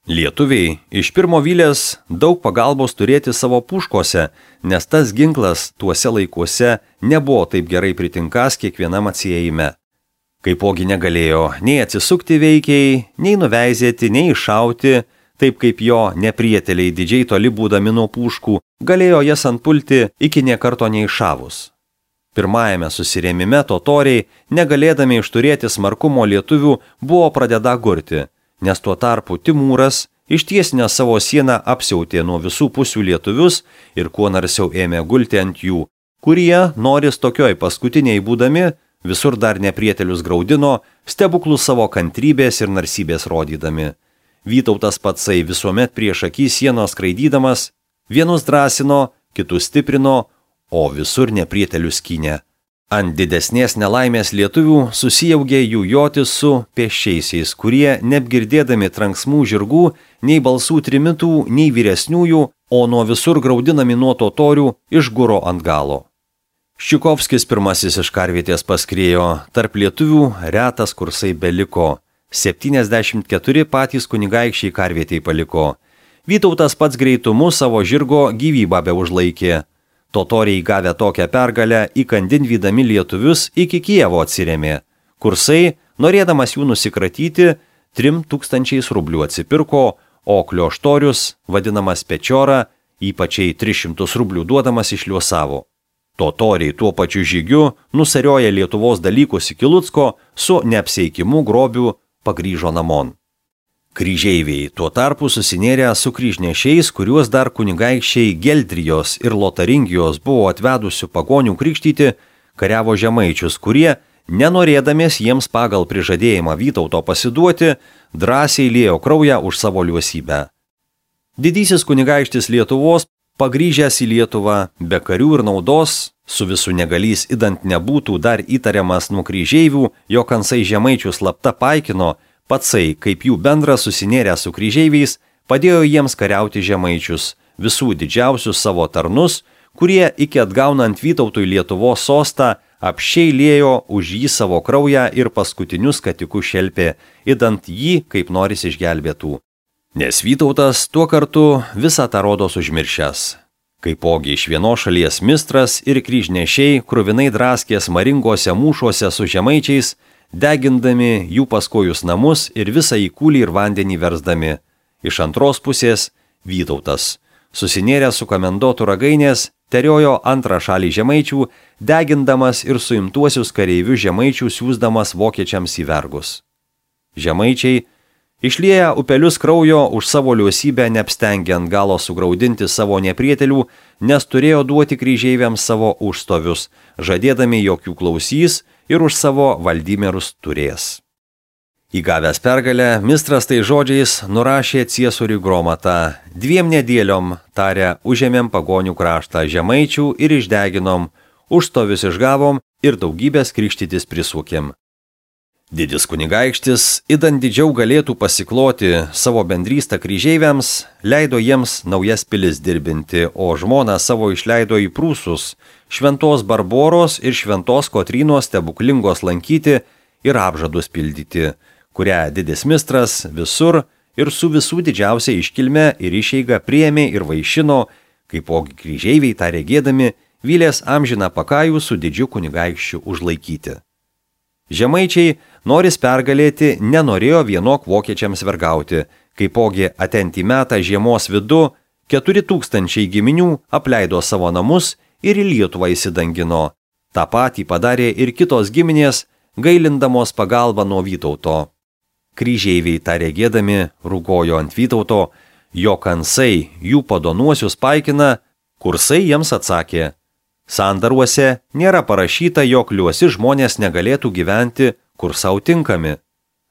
Lietuviai iš pirmo vylės daug pagalbos turėti savo puškose, nes tas ginklas tuose laikuose nebuvo taip gerai pritinkas kiekvienam atsiejime. Kaipogi negalėjo nei atsisukti veikiai, nei nuveizėti, nei iššauti, taip kaip jo neprieteliai didžiai toli būdami nuo puškų, galėjo jas antpulti iki niekarto neiššavus. Pirmajame susirėmime totoriai, negalėdami išturėti smarkumo lietuvių, buvo pradeda gurti, nes tuo tarpu Timūras ištiesinę savo sieną apsiautė nuo visų pusių lietuvius ir kuo narsiau ėmė gulti ant jų, kurie, noris tokioj paskutiniai būdami, visur dar neprietelius graudino, stebuklus savo kantrybės ir narsybės rodydami. Vytautas patsai visuomet prieš akį sienos skraidydamas, vienus drąsino, kitus stiprino, o visur neprietelius skynė. Ant didesnės nelaimės lietuvių susijaugė jų jotis su pėsčiaisiais, kurie, neapgirdėdami tranksmų žirgų, nei balsų trimitų, nei vyresniųjų, o nuo visur graudinami nuo totorių, išguro ant galo. Ščiukovskis pirmasis iš karvietės paskriejo, tarp lietuvių retas kursai beliko, 74 patys kunigaikščiai karvietei paliko. Vytautas pats greitumu savo žirgo gyvybę beužlaikė. Totoriai gavę tokią pergalę įkandin vydami lietuvius iki Kijevo atsirėmė. Kursai, norėdamas jų nusikratyti, 3000 rublių atsipirko, o Klioštorius, vadinamas Pečiora, ypačiai 300 rublių duodamas išliuosavo. Totoriai tuo pačiu žygiu nusarioja Lietuvos dalykus iki Lucko, su neapseikimu grobiu pagrįžo namon. Kryžeiviai tuo tarpu susinėrė su kryžnešiais, kuriuos dar kunigaikščiai Geldrijos ir Lotaringijos buvo atvedusių pagonių krikštyti, kariavo žemaičius, kurie, nenorėdamės jiems pagal prižadėjimą Vytauto pasiduoti, drąsiai liejo kraują už savo liuosybę. Didysis kunigaikštis Lietuvos, pagrįžęs į Lietuvą, be karių ir naudos, su visų negalys idant nebūtų dar įtariamas nuo kryžeivių, jo kansai žemaičių slapta paikino, patsai, kaip jų bendras susinėrę su kryžeiviais, padėjo jiems kariauti žemaičius, visų didžiausius savo tarnus, kurie iki atgaunant Vytautui Lietuvos sostą apsčiai liejo už jį savo kraują ir paskutinius katikus šelpė, idant jį kaip noris išgelbėtų. Nes Vytautas tuo kartu visą tą rodos užmiršęs. Kaipogi iš vienos šalies mistras ir kryžnešiai kruvinai draskės maringose mūšuose su žemaičiais, degindami jų paskojus namus ir visą į kūlį ir vandenį versdami. Iš antros pusės Vytautas susinėrė su komendotų ragainės, teriojo antrą šalį žemaičių, degindamas ir suimtuosius kareivius žemaičių siūsdamas vokiečiams į vergus. Žemaičiai, išlieję upelius kraujo už savo liuosybę, neapstengiant galo sugraudinti savo neprietelių, nes turėjo duoti kryžeiviams savo užstovius, žadėdami, jog jų klausys ir už savo valdymerus turės. Įgavęs pergalę, mistras tai žodžiais nurašė ciesoriui Gromatą: 2 nedėliom, tarė, užėmėm pagonių kraštą žemaičių ir išdeginom, užstovius išgavom ir daugybės krikštytis prisukėm. Didis kunigaikštis, idant didžiau galėtų pasikloti savo bendrystę kryžeiviams, leido jiems naujas pilis dirbinti, o žmoną savo išleido į Prūsus, Šventos Barboros ir Šventos Kotrynos stebuklingos lankyti ir apžadus pildyti, kurią didis mistras visur ir su visų didžiausia iškilme ir išeiga priėmė ir vaišino, kaipogi kryžeiviai tą regėdami vylės amžiną pakajų su didžiu kunigaikščiu užlaikyti. Žemaičiai, noris pergalėti, nenorėjo vienok vokiečiams vergauti, kaipogi atentį metą žiemos vidu 4000 giminių apleido savo namus ir į Lietuvą įsidangino. Ta patį padarė ir kitos giminės, gailindamos pagalbą nuo Vytauto. Kryžeiviai tą regėdami rūgojo ant Vytauto, jo kansai jų padonuosius paikina, kursai jiems atsakė: sandaruose nėra parašyta, jog liuosi žmonės negalėtų gyventi, kur sau tinkami.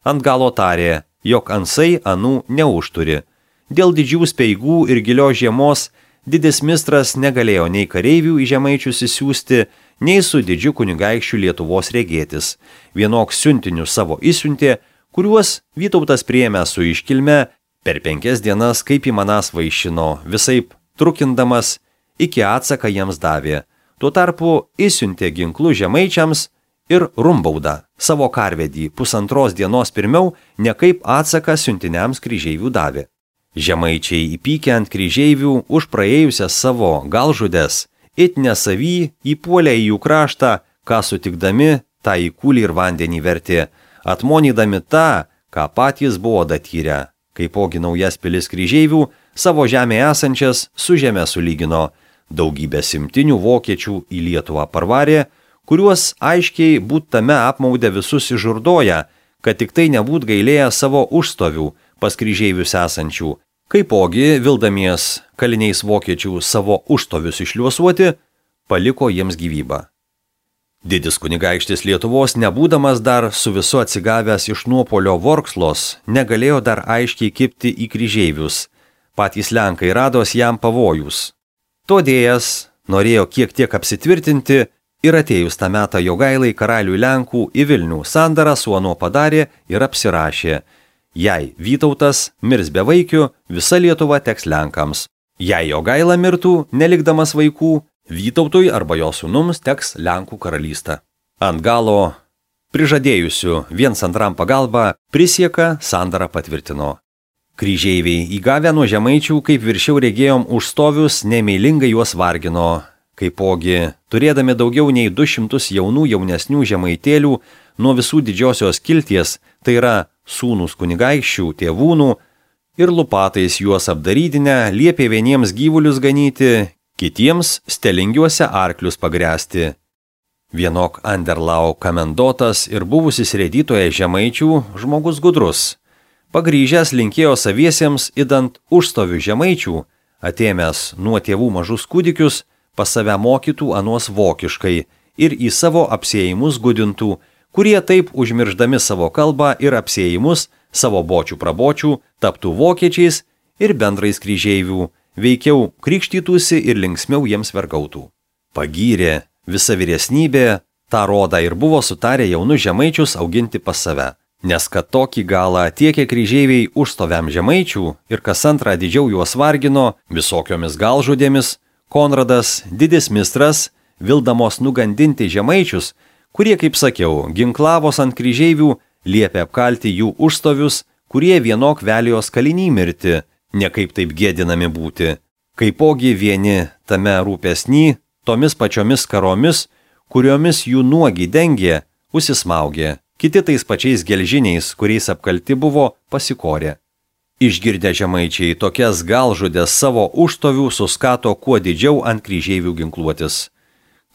Ant galo tarė, jog ansai anų neužturi. Dėl didžių speigų ir gilios žiemos didis mistras negalėjo nei kareivių į žemaičius įsiųsti, nei su didžiu kunigaikščiu Lietuvos regėtis. Vienok siuntinius savo įsiuntė, kuriuos Vytautas priėmė su iškilme, per 5 dienas kaip įmanas vaišino, visaip trukindamas, iki atsaką jiems davė. Tuo tarpu įsiuntė ginklų žemaičiams ir rumbaudą, savo karvedį, 1,5 dienos pirmiau, ne kaip atsaką siuntiniams kryžeivių davė. Žemaičiai įpykę ant kryžeivių už praėjusias savo galžudes, it nesavy įpuolė į jų kraštą, ką sutikdami, tą į kūlį ir vandenį vertė, atmonydami tą, ką patys buvo datyrę. Kaipogi naujas pilis kryžeivių savo žemėje esančias su žeme sulygino, daugybę simtinių vokiečių į Lietuvą parvarė, kuriuos aiškiai būt tame apmaudė visus išžurdoja, kad tik tai nebūt gailėję savo užstovių pas kryžeivius esančių, kaipogi vildamies kaliniais vokiečių savo užstovius išliuosuoti, paliko jiems gyvybą. Didis kunigaikštis Lietuvos, nebūdamas dar su visu atsigavęs iš nuopolio Vorkslos, negalėjo dar aiškiai kibti į kryžeivius. Patys lenkai rados jam pavojus. Todėjas norėjo kiek tiek apsitvirtinti ir atėjus tą metą Jogailai karaliui Lenkų į Vilnių sandarą su anuo padarė ir apsirašė: jei Vytautas mirs be vaikių, visa Lietuva teks Lenkams. Jei Jogaila mirtų, nelikdamas vaikų, Vytautui arba jo sūnums teks Lenkų karalystė. Ant galo prižadėjusių viens antram pagalbą prisieką sandarą patvirtino. Kryžeiviai įgavę nuo žemaičių, kaip viršiau regėjom užstovius, nemeilingai juos vargino, kaipogi, turėdami daugiau nei 200 jaunų jaunesnių žemaitėlių nuo visų didžiosios kilties, tai yra sūnus kunigaikščių, tėvūnų, ir lupatais juos apdarydinę, liepė vieniems gyvulius ganyti, kitiems stelingiuose arklius pagręsti. Vienok Anderlau komendotas ir buvusis rėdytoje žemaičių žmogus gudrus. Pagrįžęs linkėjo saviesiems idant užstovių žemaičių, atėmęs nuo tėvų mažus kūdikius, pas save mokytų anuos vokiškai ir į savo apsėjimus gudintų, kurie taip užmirždami savo kalbą ir apsėjimus savo bočių prabočių taptų vokiečiais ir bendrais kryžeivių, veikiau krikštytųsi ir linksmiau jiems vergautų. Pagyrė visa vyresnybė, tą rodą ir buvo sutarę jaunus žemaičius auginti pas save. Nes kad tokį galą tiekė kryžeiviai užstoviam žemaičių ir kas antrą didžiau juos vargino visokiomis galžudėmis, Konradas, didis mistras, vildamos nugandinti žemaičius, kurie, kaip sakiau, ginklavos ant kryžeivių, liepė apkalti jų užstovius, kurie vienok velijos kaliniai mirti, nekaip taip gėdinami būti. Kaipogi vieni tame rūpesny, tomis pačiomis karomis, kuriomis jų nuogi dengė, užsismaugė. Kiti tais pačiais gelžiniais, kuriais apkalti buvo, pasikorė. Išgirdę žemaičiai tokias galžudės savo užtovių suskato kuo didžiau ant kryžeivių ginkluotis.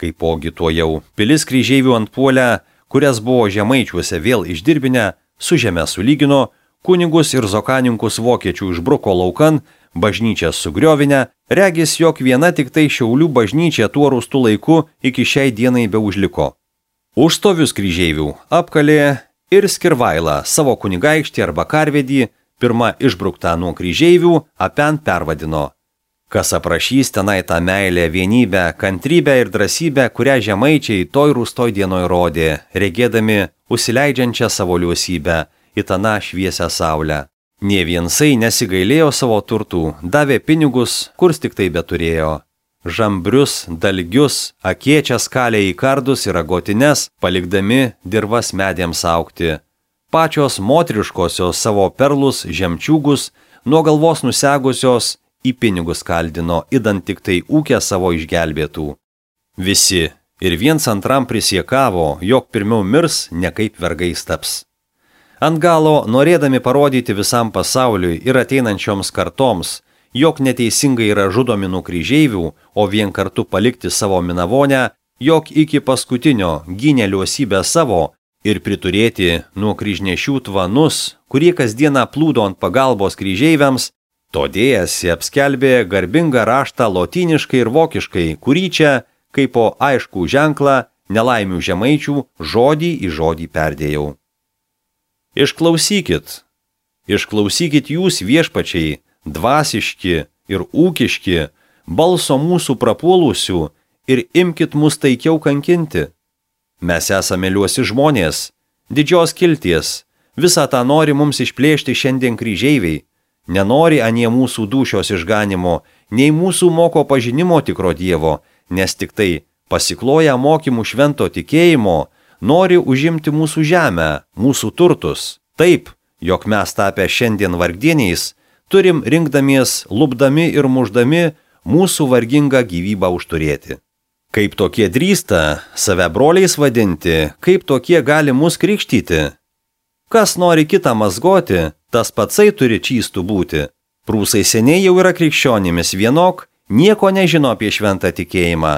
Kaipogi tuojau pilis kryžeivių antpuolę, kurias buvo žemaičiuose vėl išdirbinę, su žeme sulygino, kunigus ir zokaninkus vokiečių išbruko laukan, bažnyčią sugriovinę, regis jog viena tik tai Šiaulių bažnyčia tuo rūstų laiku iki šiai dienai beužliko. Užstovius kryžeivių apkalė ir Skirvailą savo kunigaikštį arba karvedį, pirma išbruktą nuo kryžeivių, apen pervadino. Kas aprašys tenai tą meilę, vienybę, kantrybę ir drąsybę, kurią žemaičiai toj rūstoj dienoj rodė, regėdami užsileidžiančią savo liuosybę į taną šviesią saulę. Nė viensai nesigailėjo savo turtų, davė pinigus, kurs tik tai beturėjo. Žambrius, dalgius, akiečias kalė į kardus ir agotines, palikdami dirvas medėms augti. Pačios motriškosios savo perlus, žemčiūgus, nuo galvos nusegusios, į pinigus kaldino, idant tik tai ūkę savo išgelbėtų. Visi ir viens antram prisiekavo, jog pirmiau mirs, ne kaip vergais taps. Ant galo, norėdami parodyti visam pasauliui ir ateinančioms kartoms, jog neteisingai yra žudomi nuo kryžeivių, o vien kartu palikti savo minavonę, jog iki paskutinio gynė liuosybę savo ir priturėti nuo kryžnešių tvanus, kurie kasdieną plūdo ant pagalbos kryžeiviams, todėjasi apskelbė garbingą raštą lotyniškai ir vokiškai, kurį čia, kaip po aiškų ženklą, nelaimių žemaičių, žodį į žodį perdėjau. Išklausykit jūs viešpačiai, dvasiški ir ūkiški, balso mūsų prapuolusių ir imkit mus taikiau kankinti. Mes esame liuosi žmonės, didžios kilties, visą tą nori mums išplėšti šiandien kryžeiviai, nenori anie mūsų dūšios išganimo, nei mūsų moko pažinimo tikro Dievo, nes tik tai pasikloja mokymų švento tikėjimo, nori užimti mūsų žemę, mūsų turtus, taip, jog mes tapę šiandien vargdieniais, turim rinkdamies, lupdami ir muždami mūsų vargingą gyvybę užturėti. Kaip tokie drįsta save broliais vadinti, kaip tokie gali mus krikštyti? Kas nori kitą mazgoti, tas patsai turi čystų būti. Prūsai seniai jau yra krikščionimis vienok, nieko nežino apie šventą tikėjimą,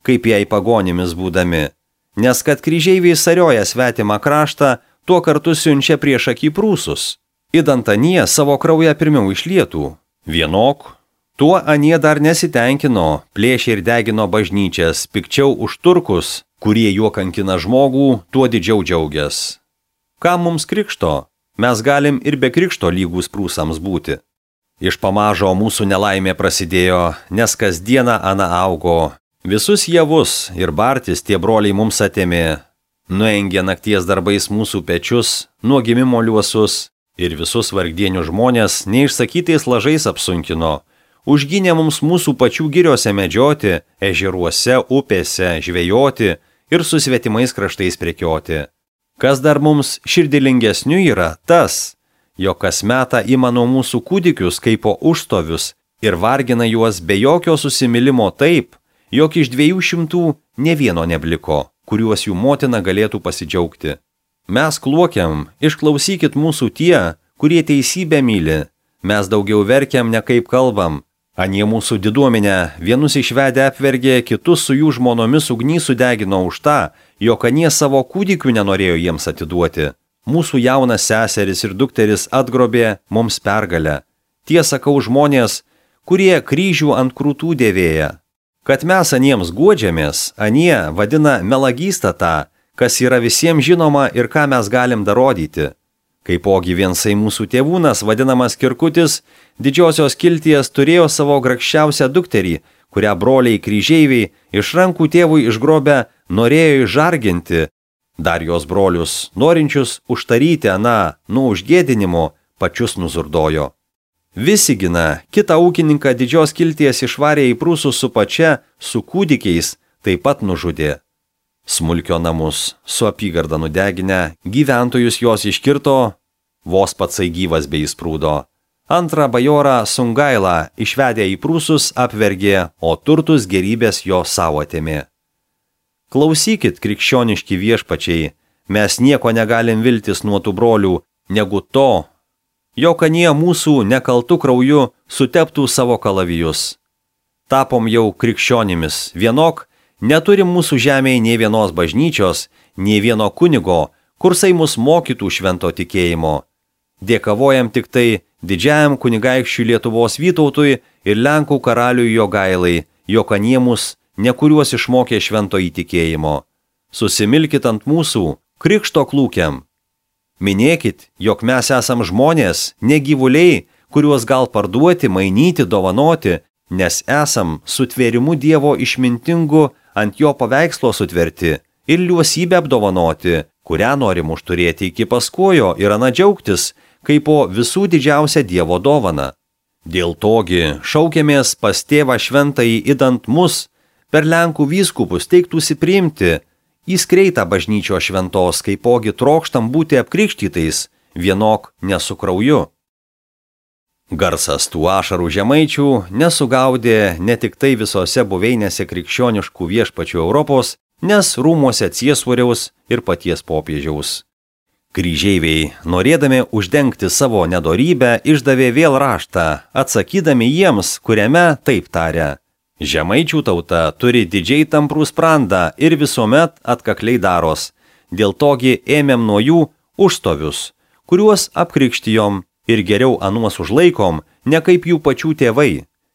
kaip jai pagonimis būdami. Nes kad kryžeiviai sarioja svetimą kraštą, tuo kartu siunčia prieš akį prūsus. Idant anie savo kraują pirmiau išlietų. Vienok, tuo anie dar nesitenkino, plėšė ir degino bažnyčias, pikčiau už turkus, kurie juo kankina žmogų, tuo didžiau džiaugias. Kam mums krikšto? Mes galim ir be krikšto lygus prūsams būti. Iš pamažo mūsų nelaimė prasidėjo, nes kasdieną ana augo. Visus javus ir bartis tie broliai mums atėmė. Nuengė nakties darbais mūsų pečius, nuo gimimo liuosus ir visus vargdienių žmonės neišsakytais lažais apsunkino. Užgynė mums mūsų pačių giriuose medžioti, ežeruose, upėse, žvejoti ir su svetimais kraštais prekioti. Kas dar mums širdilingesnių yra tas, jog kas metą ima nuo mūsų kūdikius kaip po užstovius ir vargina juos be jokio susimilimo taip, jog iš 200 ne vieno nebliko, kuriuos jų motina galėtų pasidžiaugti. Mes kluokiam, išklausykit mūsų tie, kurie teisybę myli. Mes daugiau verkiam, ne kaip kalbam. Anie mūsų diduomenę vienus išvedę apvergė, kitus su jų žmonomis ugnį sudegino už tą, jog anie savo kūdikių nenorėjo jiems atiduoti. Mūsų jaunas seseris ir dukteris atgrobė mums pergalę. Tie sakau žmonės, kurie kryžių ant krūtų dėvėja. Kad mes aniems guodžiamės, anie vadina melagystą tą, kas yra visiems žinoma ir ką mes galim darodyti. Kaipogi viensai mūsų tėvūnas, vadinamas Kirkutis, didžiosios kilties turėjo savo grakščiausią dukterį, kurią broliai kryžeiviai iš rankų tėvui išgrobę norėjo išžarginti. Dar jos brolius, norinčius užtaryti aną nuo užgėdinimo, pačius nuzurdojo. Visigina, kitą ūkininką didžios kilties išvarė į prūsus su pačia, su kūdikiais, taip pat nužudė. Smulkio namus su apygarda nudeginę, gyventojus jos iškirto, vos patsai gyvas bei įsprūdo. Antrą bajorą Sungailą išvedę į prūsus apvergė, o turtus gerybės jo savo atėmė. Klausykit, krikščioniški viešpačiai, mes nieko negalim viltis nuo tų brolių, negu to, jog anie mūsų nekaltų krauju suteptų savo kalavijus. Tapom jau krikščionimis, vienok neturi mūsų žemėje nei vienos bažnyčios, nei vieno kunigo, kursai mus mokytų švento tikėjimo. Dėkavojam tik tai didžiajam kunigaikščiui Lietuvos Vytautui ir Lenkų karaliui Jogailai, jog anie mus nekuriuos išmokė švento įtikėjimo. Susimilkit ant mūsų krikšto klūkiam. Minėkit, jog mes esam žmonės, ne gyvuliai, kuriuos gal parduoti, mainyti, dovanoti, nes esam sutvėrimu Dievo išmintingu ant jo paveikslo sutverti ir liuosybę apdovanoti, kurią norim užturėti iki paskojo ir ana džiaugtis, kaip po visų didžiausia Dievo dovana. Dėl togi šaukėmės pas tėvą šventąjį idant mus, per Lenkų vyskupus teiktųsi priimti, į skreitą bažnyčio šventos, kaipogi trokštam būti apkrikštytais, vienok ne su krauju. Garsas tų ašarų žemaičių nesugaudė ne tik tai visose buveinėse krikščioniškų viešpačių Europos, nes rūmuose ciesoriaus ir paties popiežiaus. Kryžeiviai, norėdami uždengti savo nedorybę, išdavė vėl raštą, atsakydami jiems, kuriame taip taria: žemaičių tauta turi didžiai tamprų sprandą ir visuomet atkakliai daros, dėl togi ėmėm nuo jų užstovius, kuriuos apkrikštijom ir geriau anuos užlaikom, ne kaip jų pačių tėvai.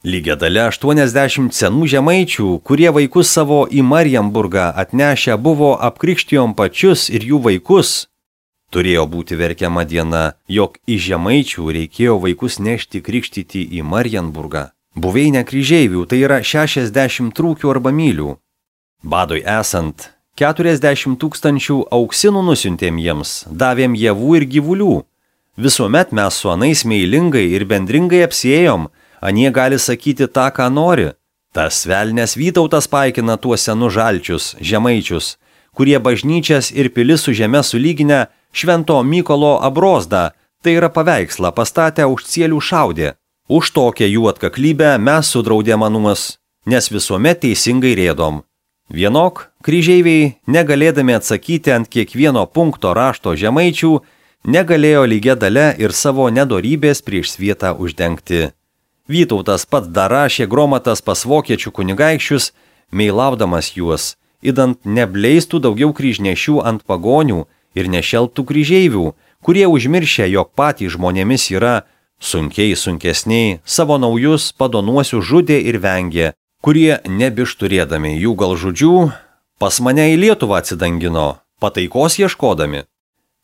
Lygia dalia 80 senų žemaičių, kurie vaikus savo į Marienburgą atnešę buvo apkrikštijom pačius ir jų vaikus. Turėjo būti verkiama diena, jog iš žemaičių reikėjo vaikus nešti krikštyti į Marienburgą. Buveinė kryžeivių tai yra 60 trūkių arba mylių. Badui esant, 40 000 auksinų nusiuntėm jiems, davėm javų ir gyvulių. Visuomet mes su anais meilingai ir bendringai apsiėjom, anie gali sakyti tą, ką nori. Tas velnės Vytautas paikina tuos senus žalčius, žemaičius, kurie bažnyčias ir pilis su žeme sulyginę Švento Mykolo abrozdą, tai yra paveikslą pastatę už cielių šaudė. Už tokią jų atkaklybę mes sudraudėm anuos, nes visuomet teisingai rėdom. Vienok, kryžeiviai, negalėdami atsakyti ant kiekvieno punkto rašto žemaičių, negalėjo lygia dalia ir savo nedorybės prieš svietą uždengti. Vytautas pats dar rašė gromatas pas vokiečių kunigaikščius, meilaudamas juos, idant nebleistų daugiau kryžnešių ant pagonių ir nešelptų kryžeivių, kurie užmiršę, jog patys žmonėmis yra, sunkiai sunkesniai, savo naujus padonuosius žudė ir vengė, kurie nebišturėdami jų galžudžių, pas mane į Lietuvą atsidangino, pataikos ieškodami.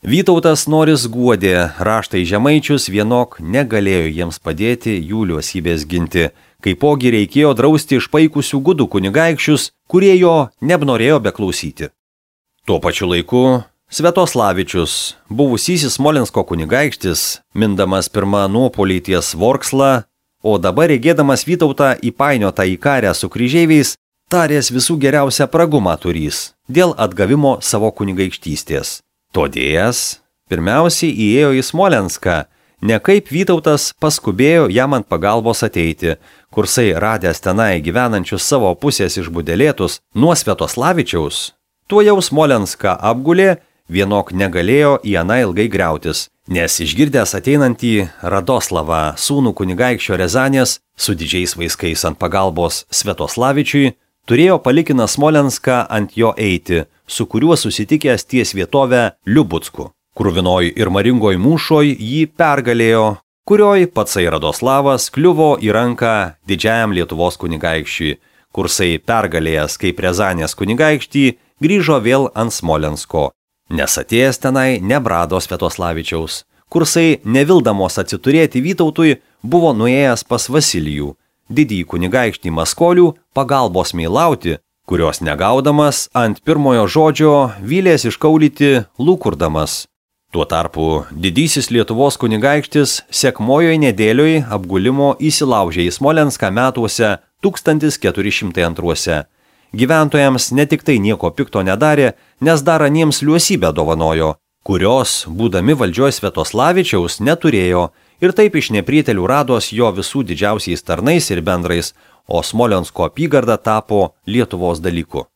Vytautas noris guodė raštai žemaičius, vienok negalėjo jiems padėti jų liuosybės ginti, kaipogi reikėjo drausti išpaikusių gudų kunigaikščius, kurie jo nebenorėjo beklausyti. Tuo pačiu laiku Svetoslavičius, buvusysis Smolensko kunigaikštis, mindamas pirmą nuopolį ties Vorkslą, o dabar regėdamas Vytautą įpainiotą į karę su kryžeiviais, tarės visų geriausią pragumą turys dėl atgavimo savo kunigaikštystės. Todėjas pirmiausiai įėjo į Smolenską, ne kaip Vytautas paskubėjo jam ant pagalbos ateiti, kursai radęs tenai gyvenančius savo pusės išbudelėtus nuo Svetoslavičiaus, tuo jau Smolenską apgulė, vienok negalėjo į aną ilgai griautis, nes išgirdęs ateinantį Radoslavą, sūnų kunigaikščio Rezanės, su didžiais vaiskais ant pagalbos Svetoslavičiui, turėjo palikiną Smolenską ant jo eiti, su kuriuo susitikęs ties vietovę Liubucku. Kruvinoj ir maringoj mūšoj jį pergalėjo, kurioj patsai Radoslavas kliuvo į ranką didžiajam Lietuvos kunigaikščiui, kursai pergalėjęs kaip Rezanės kunigaikštį grįžo vėl ant Smolensko. Nes atėjęs tenai nebrado Svetoslavičiaus, kursai nevildamos atsiturėti Vytautui buvo nuėjęs pas Vasilijų, didįjį kunigaikštį Maskolių, pagalbos meilauti, kurios negaudamas ant pirmojo žodžio vylės iškaulyti lūkurdamas. Tuo tarpu didysis Lietuvos kunigaikštis sekmojoj nedėlioj apgulimo įsilaužė į Smolenską metuose 1402. Gyventojams ne tik tai nieko pikto nedarė, nes dar aniems liuosybę dovanojo, kurios, būdami valdžioj Svetoslavičiaus, neturėjo ir taip iš neprietelių rados jo visų didžiausiais tarnais ir bendrais, o Smolensko apygarda tapo Lietuvos dalyku.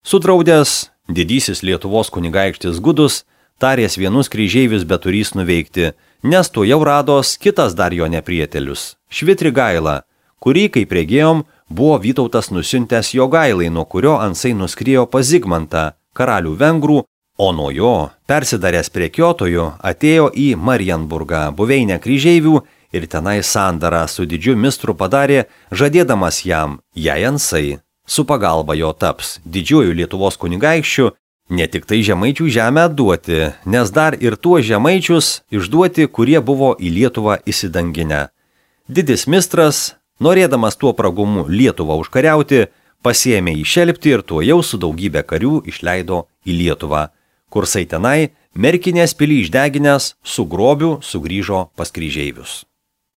Sudraudęs, didysis Lietuvos kunigaikštis Gudus, tarės vienus kryžeivius beturys nuveikti, nes to jau rados kitas dar jo neprietelius – Švitrigaila, kurį, kaip regėjom, buvo Vytautas nusiuntęs Jogailai, nuo kurio ansai nuskriejo pas Zigmantą, karalių vengrų, o nuo jo, persidaręs prekiotojų, atėjo į Marienburgą, buveinę kryžeivių, ir tenai sandarą su didžiu mistru padarė, žadėdamas jam, jei ansai su pagalba jo taps didžiuoju Lietuvos kunigaikščiu, ne tik tai žemaičių žemę atduoti, nes dar ir tuos žemaičius išduoti, kurie buvo į Lietuvą įsidanginę. Didis mistras, norėdamas tuo pragumu Lietuvą užkariauti, pasiėmė į Šelptį ir tuojau su daugybė karių išleido į Lietuvą. Kursai tenai, Merkinės pilį išdeginęs, su grobiu sugrįžo pas kryžeivius.